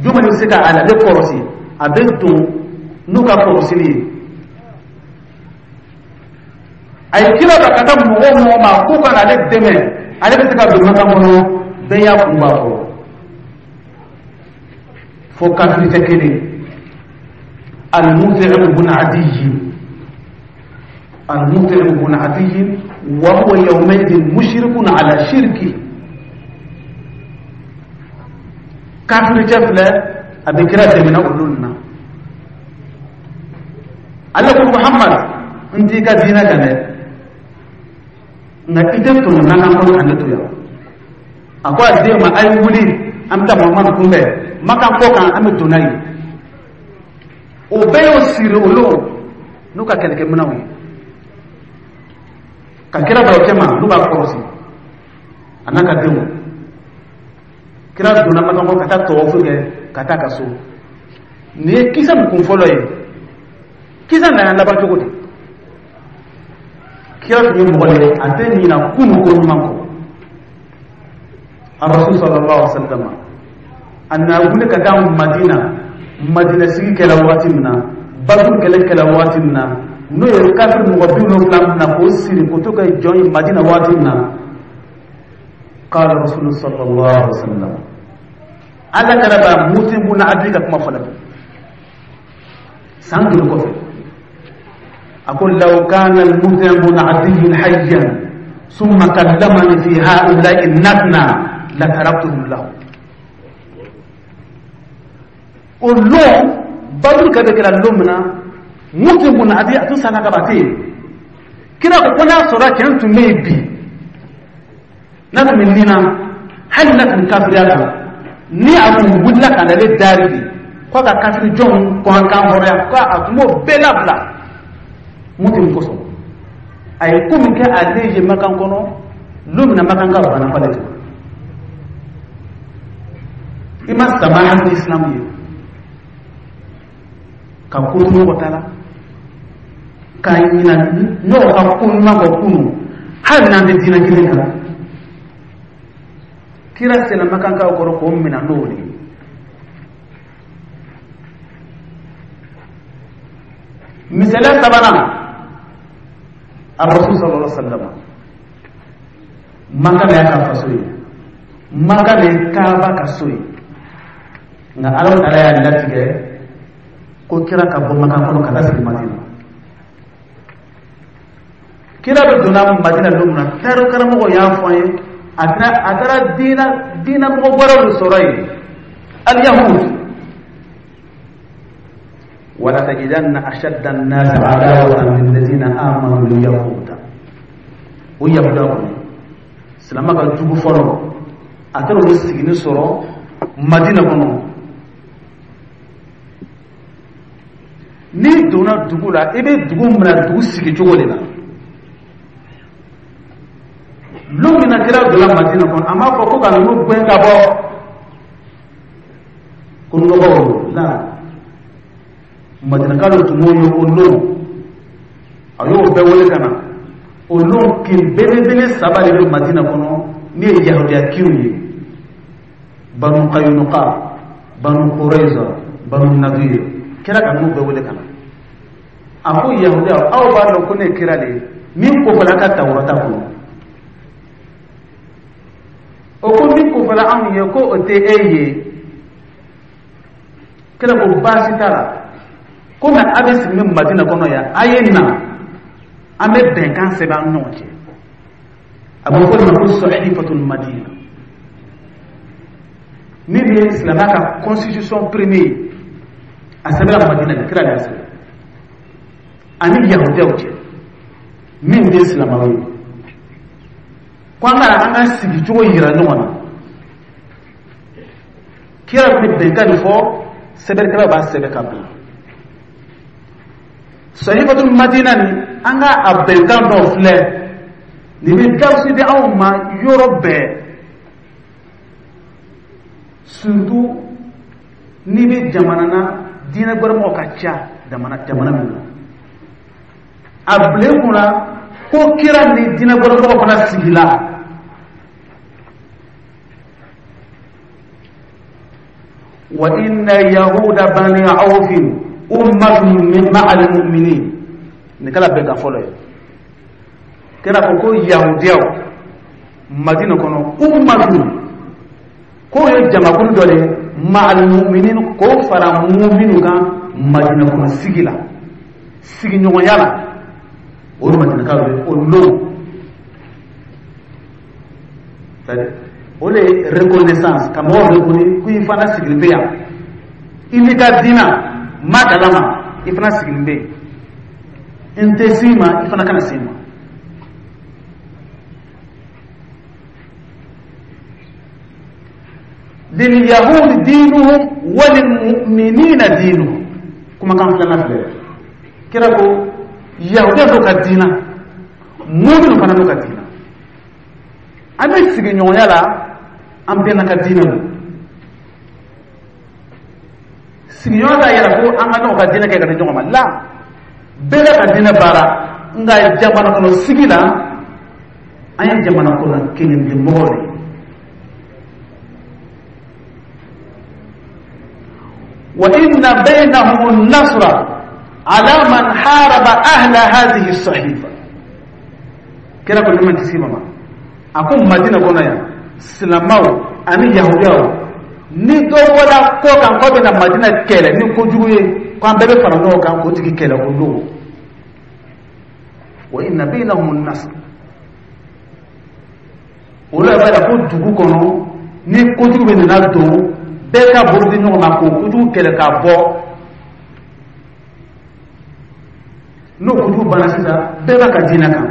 jumɛn bɛ se ka ale kɔlɔsi, a bɛ don n'u ka kɔlɔsili ye. A ye kira ta ka taa mɔgɔ o mɔgɔ ma k'u ka n'ale dɛmɛ, ale bɛ se ka don Makan kɔnɔ, bɛɛ y'a kun b'a kɔrɔ, fo kafiricɛ kelen, Al-Mut'im bun Adiyyi, Al-Mut'im bun Adiyyi, wa huwa yawmaidin mushrikun ala shirki. Kafiricɛ filɛ, a bɛ kira dɛmɛ na olu na. Ale ko Muhammad, n t'i ka diinɛ kan dɛ, nka i tɛ tɔnɔ n'an ka kɔnɔ ka ne to yan. A ko a den ma, a ye wuli, an bɛ taa Muhammad kunbɛn Makan kɔ kan, an bɛ don n'a ye. O bɛɛ y'o siri olu n'u ka kɛlɛkɛminɛnw ye, ka kira bila o cɛma n'u b'a kɔlɔsi a n'a ka denw. Kira donna Makan kɔ ka taa tɔwɔfu kɛ ka taa ka so. Nin ye kisa min kun fɔlɔ ye, kisa nana laban cogo di? Kira tun ye mɔgɔ de ye, a tɛ ɲina kunu ko ɲuman kɔ. Arasul sallallahu alaihi wa sallam, a nana wuli ka taa Madina. Madina sigi kɛra waati min na, Baduru kɛlɛ kɛra waati min na, n'o ye kafiri mɔgɔ 70 mina k'o siri k'o to kɛ jɔn ye Madina waati min na, qala Rasul sallallahu alaihi wa sallam, Ala kɛra ba Mutim bun Adi ka kuma fɔlɔ san joli kɔfɛ, a ko: law kana al-Mutim bun Adi hayyan summa kallamani fi ha'ula'i natna la taraktuhum lahu. O lon Baduru kɛlɛ kɛra lon min na, Mutim bun Adi a tun sala ka ban, a tɛ yen. Kira ko n'a sɔrɔ cɛ tun bɛ yen bi, n'a tun bɛ nin na, hali n'a tun kafiriya la, ni a tun wulila ka nale dari de k'a ka kafiri jɔnw kɔn kan hɔrɔnya, k'a tun b'o bɛɛ labila Mutim kosɔn. A ye ko min kɛ ale ye Makan kɔnɔ, lon min na Makan ka bana falen ten, i ma samaha ni Islam ye ka ko to ɲɔgɔn ta la, ka ɲina ɲɔgɔn ka ko ɲuman kɔ kunu, hali n'an tɛ diinɛ kelen kan. Kira sera Makankaw kɔrɔ k'o minɛ n'o de ye. Misaliya sabanan, Arasul sallallahu alaihi wa sallam, Maka de y'a ka faso ye, Maka de ye Kaaba ka so ye. Nka Ala taala y'a latigɛ ko kira ka bɔ Maka kɔnɔ ka taa sigi Madina. Kira bɛ donna Madina don min na, tariku karamɔgɔ y'a fɔ an ye, a taara diinɛ mɔgɔ wɛrɛw de sɔrɔ yen, al-yahud. Wala tajidanna ashadda an-nasi adawatan lilladhina amanu al-yahuda. O yahuda kɔni, silamɛ ka jugu fɔlɔ, a taara olu sigini sɔrɔ Madina kɔnɔ. N'i donna dugu la, i bɛ dugu minɛ dugu sigi cogo de la. Lon min na kira donna Madina kɔnɔ, a m'a fɔ ko ka ninnu gɛn ka bɔ ko nɔgɔw don la. Madinakaw de tun b'o ye o lon, a y'o bɛɛ wele ka na. O lon kin belebele saba de bɛ Madina kɔnɔ, min ye yahudiya kinw ye: Banu Kayunuka, Banu Kurayza, Banu Nadir. Kira ka ninnu bɛɛ wele ka na. A ko: yahudiya, aw b'a dɔn ko ne ye kira de ye min kofɔla ka Tawurata kɔnɔ. O ko min kofɔla anw ye ko o tɛ e ye. Kira ko baasi t'a la, komi a bɛ sigi Madina kɔnɔ yan, a ye na an bɛ bɛnkan sɛbɛn an ni ɲɔgɔn cɛ. A bɛ fɔ o de ma ko sahifatul Madina, min bɛ silamɛya ka constitution premier ye, a sɛbɛnna Madina de, kira de y'a sɛbɛn ani yahudiyaw cɛ min tɛ silamɛw ye, ko an ka an ka sigicogo yira ɲɔgɔn na. Kira bɛ bɛnkan de fɔ, sɛbɛnnikɛlaw b'a sɛbɛn ka bila sahifatul Madina. Ni an ka a bɛnkan dɔw filɛ nin bɛ darisu di anw ma yɔrɔ bɛɛ, surtout n'i bɛ jamana na diinɛ gbɛrɛmɔgɔw ka ca jamana min na. A bila i kunna ko kira ni diinɛ gbɛrɛmɔgɔw fana sigila. Wa inna yahuda bani awfin ummatun min ma'al mu'minin. Nin kɛra bɛnkan fɔlɔ ye. Kira ko ko yahudiyaw Madina kɔnɔ, ummatun, k'o ye jamakulu dɔ de ye, ma'al mu'minin, k'o fara mu'minu kan Madina kɔnɔ sigi la, sigiɲɔgɔnya la. O ye Madinakaw ye o lon. O de ye reconnaissance, ka mɔgɔw reconnaître ko i fana sigilen bɛ yan, i n'i ka diinɛ ma kalama, i fana sigilen bɛ yen, n tɛ s'i ma, i fana kana s'i ma. Lil-yahudi diinuhum wa lil-mu'minina diinuhum. Kumakan filanan filɛ, kira ko yahudiya dɔw ka diina, mu'minu fana n'u ka diina, an bɛ sigiɲɔgɔnya la, an bɛɛ n'an ka diinɛ don. Sigiɲɔgɔn t'a yira ko an ka ɲɔgɔn ka diinɛ kɛ ka di ɲɔgɔn ma la, bɛɛ n'a ka diinɛ baara. Nka jamana kɔnɔ sigi la, an ye jamana kɔnɔ kelen de mɔgɔw de ye. Wa inna bainahum an-nasra ala man haraba ahla hadhihi as-sahifa. Kira ko nɛɛma kisi ma, a ko Madina kɔnɔ yan, silamɛw ani yahudiyaw, ni dɔ bɔra kɔ kan k'o bɛna Madina kɛlɛ ni kojugu ye, k'an bɛɛ bɛ fara ɲɔgɔn kan k'o tigi kɛlɛ o don. Wa inna bainahum an-nasr. Olu yɛrɛ b'a yira ko dugu kɔnɔ ni kojugu bɛ nana don, bɛɛ ka bolo di ɲɔgɔn ma k'o kojugu kɛlɛ k'a bɔ. N'o kojugu banna sisan, bɛɛ b'a ka diinɛ kan.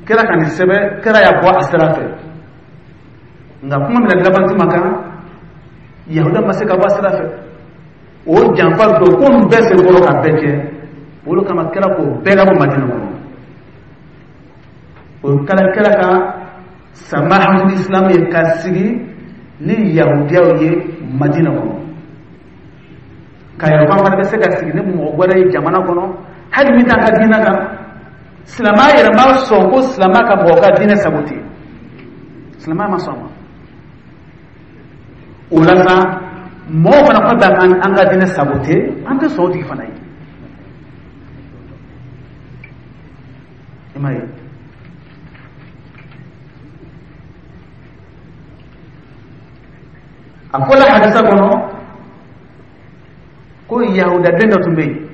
Kira ka nin sɛbɛn, kira y'a bɔ a sira fɛ. Nka kuma min na laban tuma kan, yahuda ma se ka bɔ a sira fɛ. O janfa don ko ninnu bɛɛ senkɔrɔ ka bɛɛ kɛ, olu kama kira k'o bɛɛ labɔ Madina kɔnɔ. O kɛra kira ka samahatul islam ye ka sigi ni yahudiyaw ye Madina kɔnɔ, ka yɛrɛ ko an fana bɛ se ka sigi ni mɔgɔ wɛrɛ ye jamana kɔnɔ, hali min t'an ka diinɛ kan. Silamɛya yɛrɛ ma sɔn ko silamɛ ka mɔgɔ ka diinɛ sabote, silamɛya ma sɔn a ma. O la sa, mɔgɔw fana ko bɛ an ka diinɛ sabote, an tɛ sɔn o tigi fana ye. I m'a ye, a fɔla hadisa kɔnɔ ko yahudaden dɔ tun bɛ yen,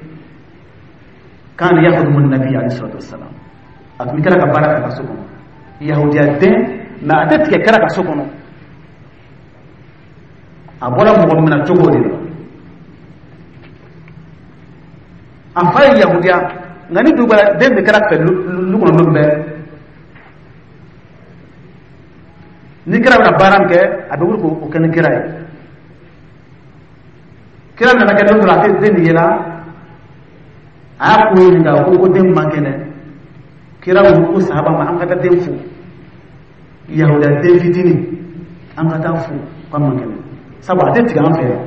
kan yahudu nabi alayhi salatu wassalam, a tun bɛ kira ka baara kɛ a ka so kɔnɔ. Yahudiya den, mɛ a tɛ tigɛ kira ka so kɔnɔ. A bɔra mɔgɔ minɛ cogo de la. A fa ye yahudiya, nka ni dugu bɔra, den bɛ kira fɛ lu kɔnɔ don bɛɛ. Ni kira bɛna baara min kɛ, a bɛ wuli k'o kɛ ni kira ye. Kira nana kɛ don dɔ la, a tɛ den nin yela, a y'a ko ɲininka ko den man kɛnɛ. Kira ko sahaba ma, an ka taa den fo, yahudiya den fitinin, an ka taa fo k'a man kɛnɛ, sabu a tɛ tigɛ an fɛ yan.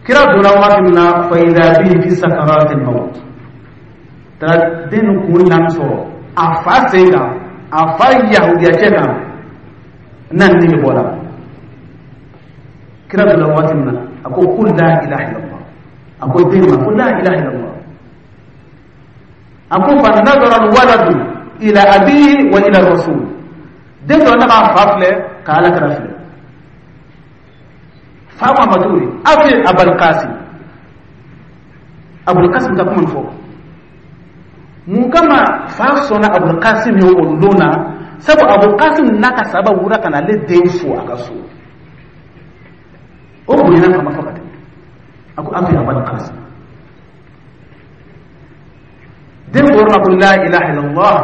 Kira donna waati min na, fa idha bihi fi sakaratil maut, taara den kun naani sɔrɔ a fa sen kan, a fa yahudiya cɛ kan, n'a ni bɛ bɔra. Kira donna waati min na, a ko qul la ilaha illallah. A ko den ma ko la ilaha illallah. A ko fa nadara alwaladu ila abihi wa ila rasul. Den dɔ n'a b'a fa filɛ ka Ala kira filɛ. Fa ko a ma cogo di? Aw ye Abul Qasim. Abul Qasim ka kuma nin fɔ. Mun kama fa sɔnna Abul Qasim ye o don na? Sabu Abul Qasim n'a ka sahaba wura ka na ale den fo a ka so. O bonyana kama fo ka tɛmɛ. A ko aw ye Abul Qasim. Den ko yɔrɔ la ko la ilaha illallah,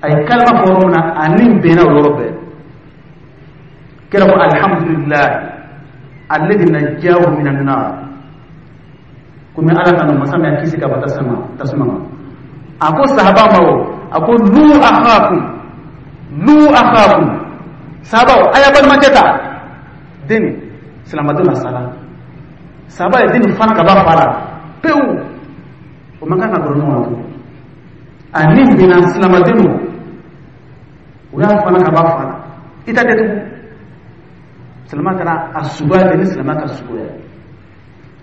a ye kalima fɔ yɔrɔ min na, a ni bɛnna o yɔrɔ bɛɛ. Kira ko alhamdulillah alladhi najjahu minan nar. Komi Ala ka masa min y'a kisi ka bɔ tasuma ma. A ko sahaba ma o, a ko lu akhakum, lu akhakum. Sahabaw, a y'a balimakɛ ta. Den nin silamɛden na sala. Sahaba ye den nin fana ka bɔ a fa la pewu. O man kan ka gɔrɔ ɲɔgɔn na tugun. A ni binna silamɛden don, o y'a fana ka bɔ a fa la. I ta tɛ tugun. Silamɛ kɛra a suguya bɛɛ ni silamɛ ka suguya ye.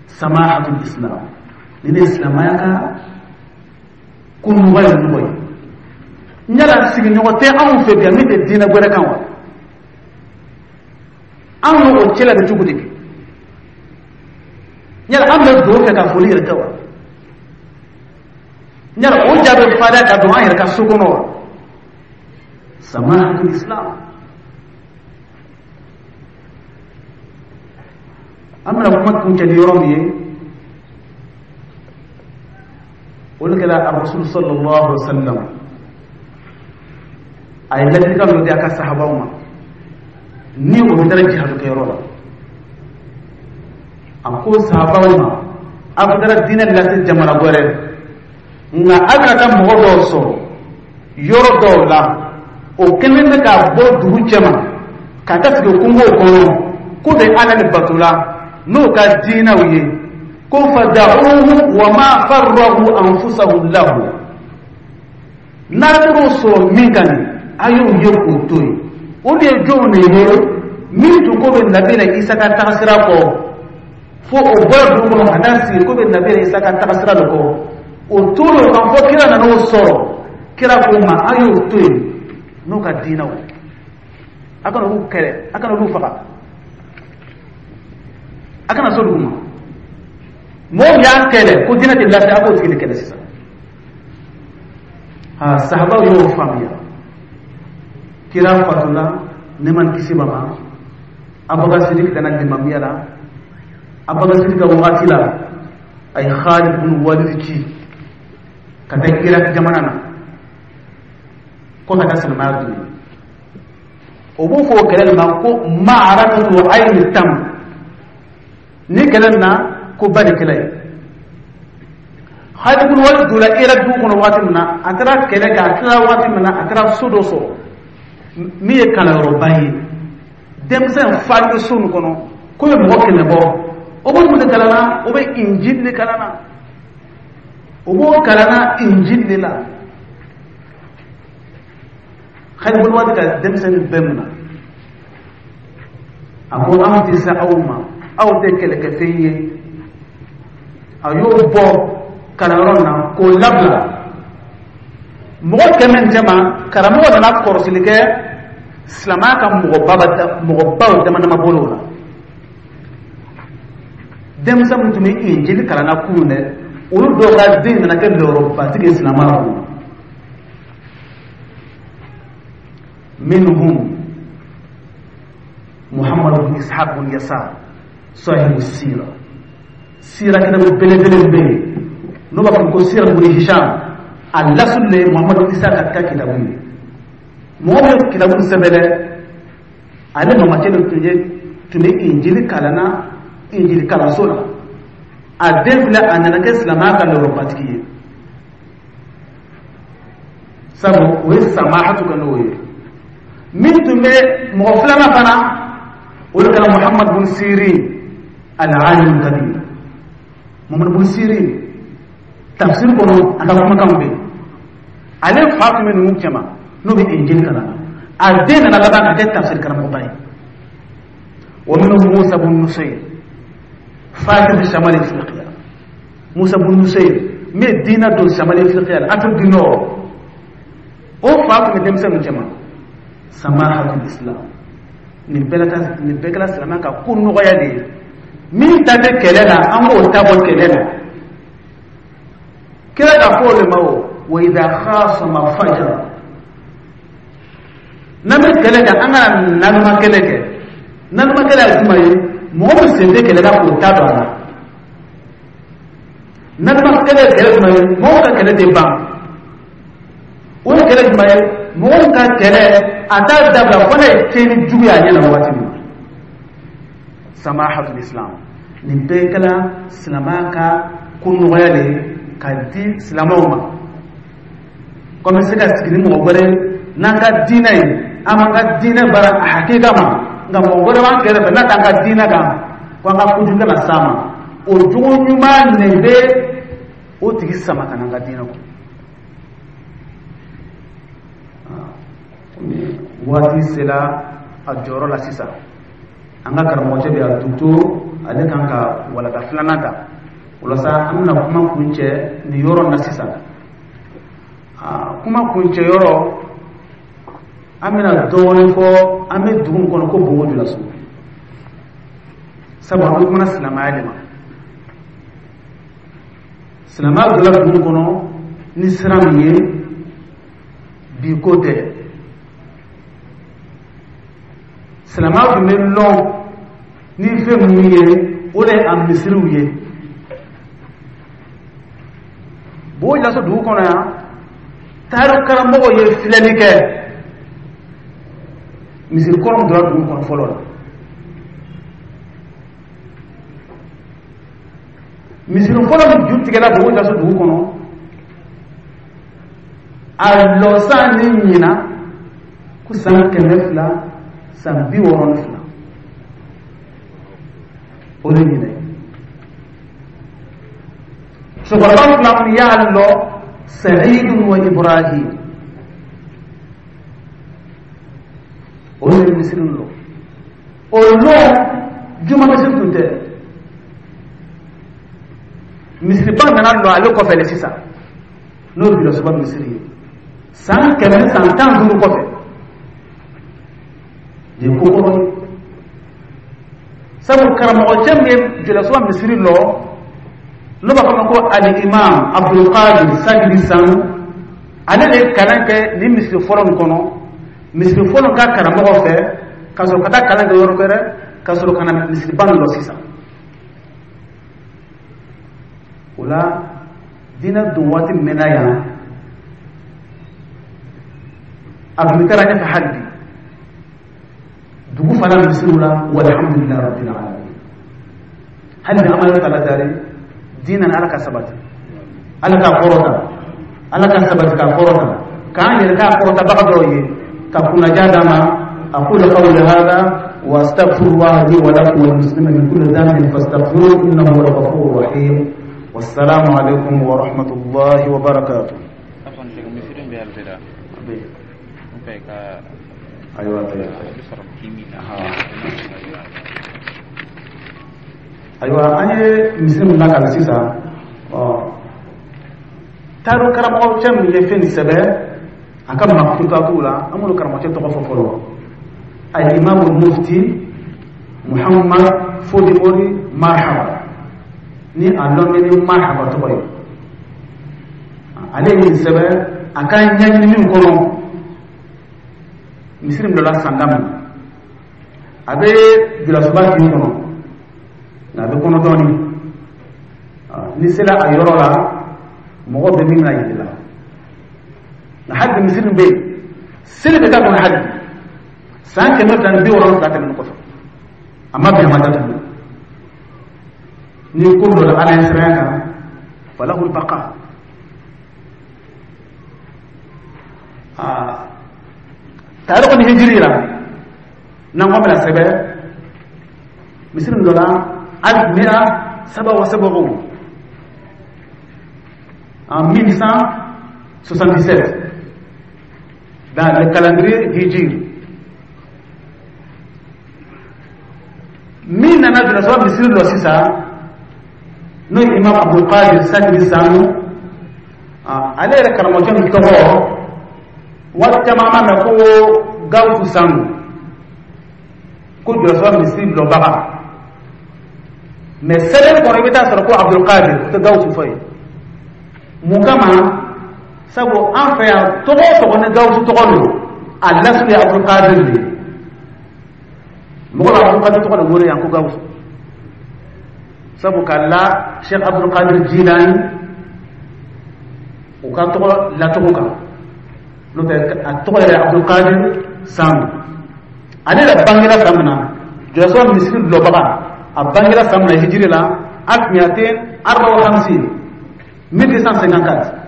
Samahatul islam, ni ne ye silamɛya ka ko nɔgɔ ye nɔgɔ ye. N yala sigiɲɔgɔn tɛ anw fɛ bi min tɛ diinɛ wɛrɛ kan wa? Anw n'o cɛla bɛ cogo di bi? Yala an bɛ dugawu kɛ ka foli yɛrɛ kɛ wa? Yala o ja bɛ farinya ka don an yɛrɛ ka so kɔnɔ wa? Samahatul islam. An bɛna kuma kuncɛ ni yɔrɔ min ye, o de kɛra Rasul sallallahu alaihi wa sallam a ye ladilikan dɔ di a ka sahabaw ma ni o bɛ taara jihadu kɛyɔrɔ la. A ko sahabaw ma, a bɛ taara diinɛ lase jamana wɛrɛ, nka a bɛna taa mɔgɔ dɔw sɔrɔ yɔrɔ dɔw la, o kɛlen bɛ ka bɔ dugu cɛma ka taa sigi kungow kɔnɔ, k'u bɛ Ala de bato la, N'o ka diinɛw ye, ko fada'uhu wa ma farragu anfusahum lahu, n'a taar'o sɔrɔ min kan nin, a y'o ye k'o to yen. O de ye jɔnw de ye? Min tun ko bɛ Nabila Isa ka tagasira kɔ, fo o bɔra dugu kɔnɔ ka taa sigi ko bɛ Nabila Isa ka tagasira de kɔ, o tor'o kan fo kira nana o sɔrɔ. Kira k'o ma, a y'o to yen n'o ka diinɛw, a kana olu kɛlɛ, a kana olu faga, a kana s'olu ma. Mɔgɔ min y'a kɛlɛ ko diinɛ tɛ lase, a b'o tigi de kɛlɛ sisan. Ha, sahabaw y'o faamuya. Kira fatula, nɛɛma ni kisi b'a ma, Abubakar Sidiki kana limamiya la. Abubakar Sidiki ka wagati la, a ye Khalid bin Walid ci ka taa Irak jamana na ko ka taa silamɛya don yen. O b'o fɔ o kɛlɛ nin ma ko ma'arakatu ayni tam. Ni kɛlɛ nin na, ko ba de kɛlɛ ye. Khalid bin Walid donna Irak dugu kɔnɔ waati min na, a taara kɛlɛ kɛ, a tilala waati min na, a taara so dɔ sɔrɔ min ye kalanyɔrɔba ye. Denmisɛn falen bɛ so nin kɔnɔ k'o ye mɔgɔ 100 bɔ. O b'o mun de kalan na? O bɛ Injil de kalan na. O b'o kalan na Injil de la. Khalid bin Walid ka denmisɛnnin bɛɛ minɛ, a ko anw tɛ se aw ma, aw tɛ kɛlɛkɛfɛn ye. A y'o bɔ kalanyɔrɔ na k'o labila mɔgɔ 100 nin cɛma. Karamɔgɔ nana kɔrɔsili kɛ, silamɛya ka mɔgɔbaw dama dama bolo la. Denmisɛn minnu tun bɛ Injili kalan na kunun dɛ, olu dɔw ka den nana kɛ lɔyɔrɔbatigi ye silamɛya kɔnɔ. Minhum Muhammad bin Ishaq bin Yasar, sahibu sira. Sira kitabu belebele bɛ yen n'o b'a fɔ ko Sira bin Hisham, a lasulu de ye Muhammad bin Ishaq ka kitabu ye. Mɔgɔ min ye kitabu sɛbɛn dɛ, ale mamacɛ de tun bɛ Injili kalan na, Injili kalanso la. A den filɛ, a nana kɛ silamɛya ka lɔyɔrɔbatigi ye, sabu o ye samahatu kɛ n'o ye. Min tun bɛ mɔgɔ filanan fana, o de kɛra Muhammad bin Sirin al-alim kabir. Muhammad bin Sirin, tafsir kɔnɔ, a ka kumakanw bɛ yen. Ale fa tun bɛ ninnu cɛma n'o bɛ Injili kalan na, a den nana laban ka kɛ tafsir karamɔgɔba ye. Wa minhum Musa bin Nusayr, fatih Shamal Ifriqiya. Musa bin Nusayr min ye diinɛ don Shamal Ifriqiya la, Afrique du Nord, o fa tun bɛ denmisɛnninw cɛma. Samahatul Islam, nin bɛɛ kɛra silamɛ ka ko nɔgɔya de ye. Min ta tɛ kɛlɛ la, an b'o ta bɔ kɛlɛ la. Kira ka fɔ o de ma o wa idha khasama fajara. N'an bɛ kɛlɛ kɛ, an kana naloma kɛlɛ kɛ. Naloma kɛlɛ ye jumɛn ye? Mɔgɔ min sen tɛ kɛlɛ la, k'o ta don a la. Naloma kɛlɛ ye kɛlɛ jumɛn ye? Mɔgɔw ka kɛlɛ tɛ ban. O ye kɛlɛ jumɛn ye? Mɔgɔw ka kɛlɛ, a t'a dabila fo n'a ye tiɲɛni jugu ye a ɲɛ na waati min na. Samahatul Islam, nin bɛɛ kɛra silamɛya ka ko nɔgɔya de ye ka di silamɛw ma. Ko an bɛ se ka sigi ni mɔgɔ wɛrɛ n'an ka diinɛ ye, an b'an ka diinɛ baara a hakika ma, nka mɔgɔ wɛrɛ b'an kɛrɛfɛ n'a t'an ka diinɛ kan, ko an ka kojugu kana s'a ma. O jogo ɲuman de bɛ o tigi sama ka na an ka diinɛ kɔnɔ. Waati sera a jɔyɔrɔ la sisan. An ka karamɔgɔcɛ bɛ yan, docteur, ale kan ka walanda filanan ta. Walasa an bɛna kuma kuncɛ nin yɔrɔ na sisan. Kuma kuncɛ yɔrɔ, an bɛna dɔɔnin fɔ. An bɛ dugu min kɔnɔ ko Bobo Julaso, sabu an bɛ kumana silamɛya de ma. Silamɛya donna dugu kɔnɔ ni sira min ye, bi ko tɛ. Silamɛya tun bɛ lɔn ni fɛn minnu ye, o de ye a misiriw ye. Bobo Julaso dugu kɔnɔ yan, tariku karamɔgɔw ye filɛli kɛ misiri kɔrɔ min donna dugu kɔnɔ fɔlɔ la. Misiri fɔlɔ min ju tigɛla Bobo Julaso dugu kɔnɔ, a lɔsan ni ɲina ko san 262, o O de ɲinɛ cɛkɔrɔba fila min y'a lɔ, Sa'idu wa Ibrahim, o ye misiri lɔ. O lɔ juma misiri tun tɛ, misiriba nana lɔ ale kɔfɛ le sisan, n'o ye Julasoba misiri ye, san 115 kɔfɛ. Nin ye ko kɔrɔ ye, sabu karamɔgɔcɛ min ye Julasoba misiri lɔ, n'o b'a fɔ ma ko Al-Imam Abdulkadir Sagiri Sanu, ale de ye kalan kɛ nin misiri fɔlɔ nin kɔnɔ, misiri fɔlɔ ka karamɔgɔ fɛ, ka sɔrɔ ka taa kalan kɛ yɔrɔ wɛrɛ, ka sɔrɔ ka na misiriba nin lɔ sisan. O la diinɛ don waati mɛnna yan, a tun bɛ taara ɲɛfɛ hali bi dugu fana misiriw la. Walhamdulilayi rabbil alamin, hali bi an b'a yɔrɔ ta dari diinɛ ni Ala ka sabati, Ala ka kɔrɔta, Ala ka sabati ka kɔrɔta, k'an yɛrɛ k'a kɔrɔtabaga dɔw ye ka kunnaja d'a ma. Aqulu qawli hadha wa astaghfirullah li wa lakum wal muslimina min kulli dhanbin fastaghfiruhu innahu huwal ghafurur rahim. Wassalamu alaikum wa rahmatullahi wa barakatuh. Ayiwa, ayiwa, an ye misiri min lakali sisan, ɔ taaro karamɔgɔcɛ min ye fɛn nin sɛbɛn a ka makutatuw la, an b'olu karamɔgɔcɛ tɔgɔ fɔ fɔlɔ: Alimamu Mufti Muhammad Fodimori Marhaba, ni a lɔn bɛ ni Marhaba tɔgɔ ye. Ale ye nin sɛbɛn a ka ɲɛɲini min kɔnɔ, misiri min dɔ la sanga min a bɛ Julasoba kin kɔnɔ, nka a bɛ kɔnɔ dɔɔni. N'i sera a yɔrɔ la, mɔgɔ bɛ min na yiri la, nka hali bi misiri bɛ yen, seli bɛ k'a kɔnɔ hali bi san 270 tɛmɛnen kɔfɛ, a ma bɛn, a ma datugu. Ni ko dɔ la Ala ye siranya kan, falahul baqa. Aa taariko ni hijiri la, n'an ko bɛna sɛbɛn misiri dɔ la, alif mia saba wa sab'un, en 1177 dans le calendrier hijiri. Min nana Julasoba misiri lɔ sisan, n'o ye Imam Abdulkadir Sakiri Sanu, ale yɛrɛ karamɔgɔcɛ min tɔgɔ waati caman an b'a mɛn ko Gawusu Sanu, ko Julasoba misiri lɔbaga, mais sɛbɛn kɔnɔ i bɛ taa sɔrɔ ko Abdulkadir, o tɛ Gawusu fɔ ye. Mun kama? Sabu an fɛ yan, tɔgɔ o tɔgɔ ni Gawusu tɔgɔ don, a lasili ye Abdulkadir de ye. Mɔgɔ bɛ Abdulkadir tɔgɔ de wele yan ko Gawusu, sabu ka la Cheikh Abdulkadir Jilani u ka tɔgɔ lacogo kan, n'o tɛ a tɔgɔ yɛrɛ Abdulkadir Sanu. Ale yɛrɛ bangera san min na, Julasoba misiri lɔbaga, a bangera san min na hijiri la, alif miatin arba wa hamsin, 1254.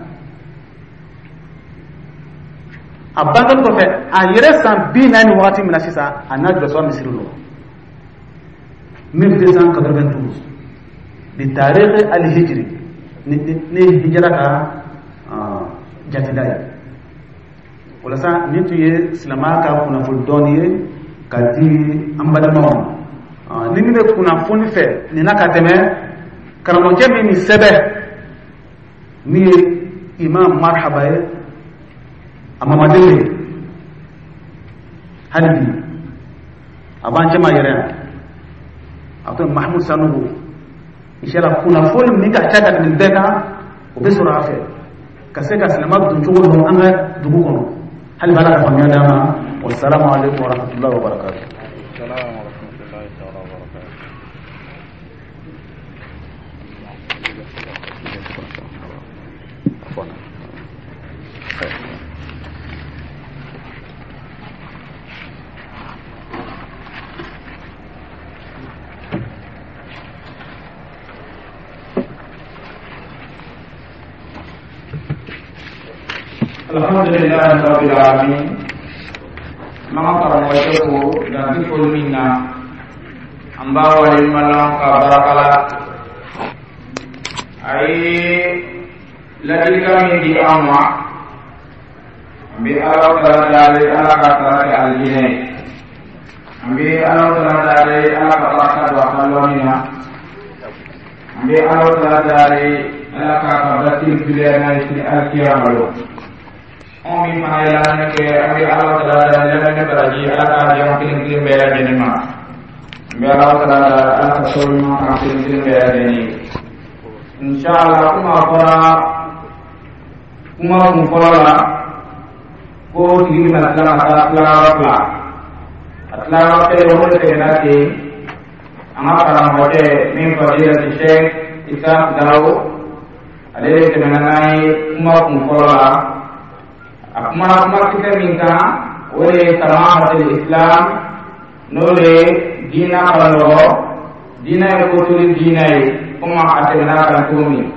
A bangeli kɔfɛ, a yɛrɛ san 40 wagati min na sisan, a n'a Julasoba misiri lɔ 1292 bi tarikh al-hijri, ni hijira ka jatida ye. Walasa nin tun ye silamɛya ka kunnafoni dɔɔni ye ka di an balimaw ma. Ni min bɛ kunnafoni fɛ nin na ka tɛmɛ karamɔgɔcɛ min nin sɛbɛn, min ye Imam Marhaba ye, a mamaden ye, hali bi a b'an cɛma yɛrɛ yan, a tɔgɔ Mahmud Sanogo. Inshallah, kunnafoni min ka ca ka tɛmɛ nin bɛɛ kan, o bɛ sɔrɔ a fɛ ka se ka silamɛ don cogo dɔn an ka dugu kɔnɔ. Hali bi Ala ka faamuya d'an ma. Wasalamu alaikum warahmatullahi wabarakatuh. Salam wa rahmatullahi ta'ala wa barakatuh. Alhamdulillahi rabbil alamin. An ka karamɔgɔcɛ fo dan tɛ foli min na. An An b'a waleɲuman lɔn ka baraka la a ye ladilikan min di an ma. An bɛ Ala taala daali, Ala ka sara kɛ alijinɛ ye. An bɛ Ala taala daali, Ala ka baraka don a ka lɔnni na. An bɛ Ala taala daali, Ala k'a ka basiri juguya n'a ye sini alikiyama lon. Anw min fana ye lamɛnni kɛ, an bɛ Ala taala daali, lamɛnni baraji, Ala k'a di an kelen kelen bɛɛ lajɛlen ma. An bɛ Ala taala daali, Ala ka sababu ɲuman k'an kelen kelen bɛɛ lajɛlen ye, inshallah. Kuma fɔra kuma kun fɔlɔ la ko tigi bɛna tila ka taa tilayɔrɔ fila. A tilayɔrɔ kelen, o de tɛmɛna ten. An ka karamɔgɔkɛ min fadilati Sheikh Isa Dawo, ale de tɛmɛna n'an ye kuma kun fɔlɔ la. A kumana kuma kisɛ min kan, o de ye samahatul islam, n'o de ye diina ka nɔgɔ, diina ye kotoli diina ye, komi a tɛmɛna kan cogo min.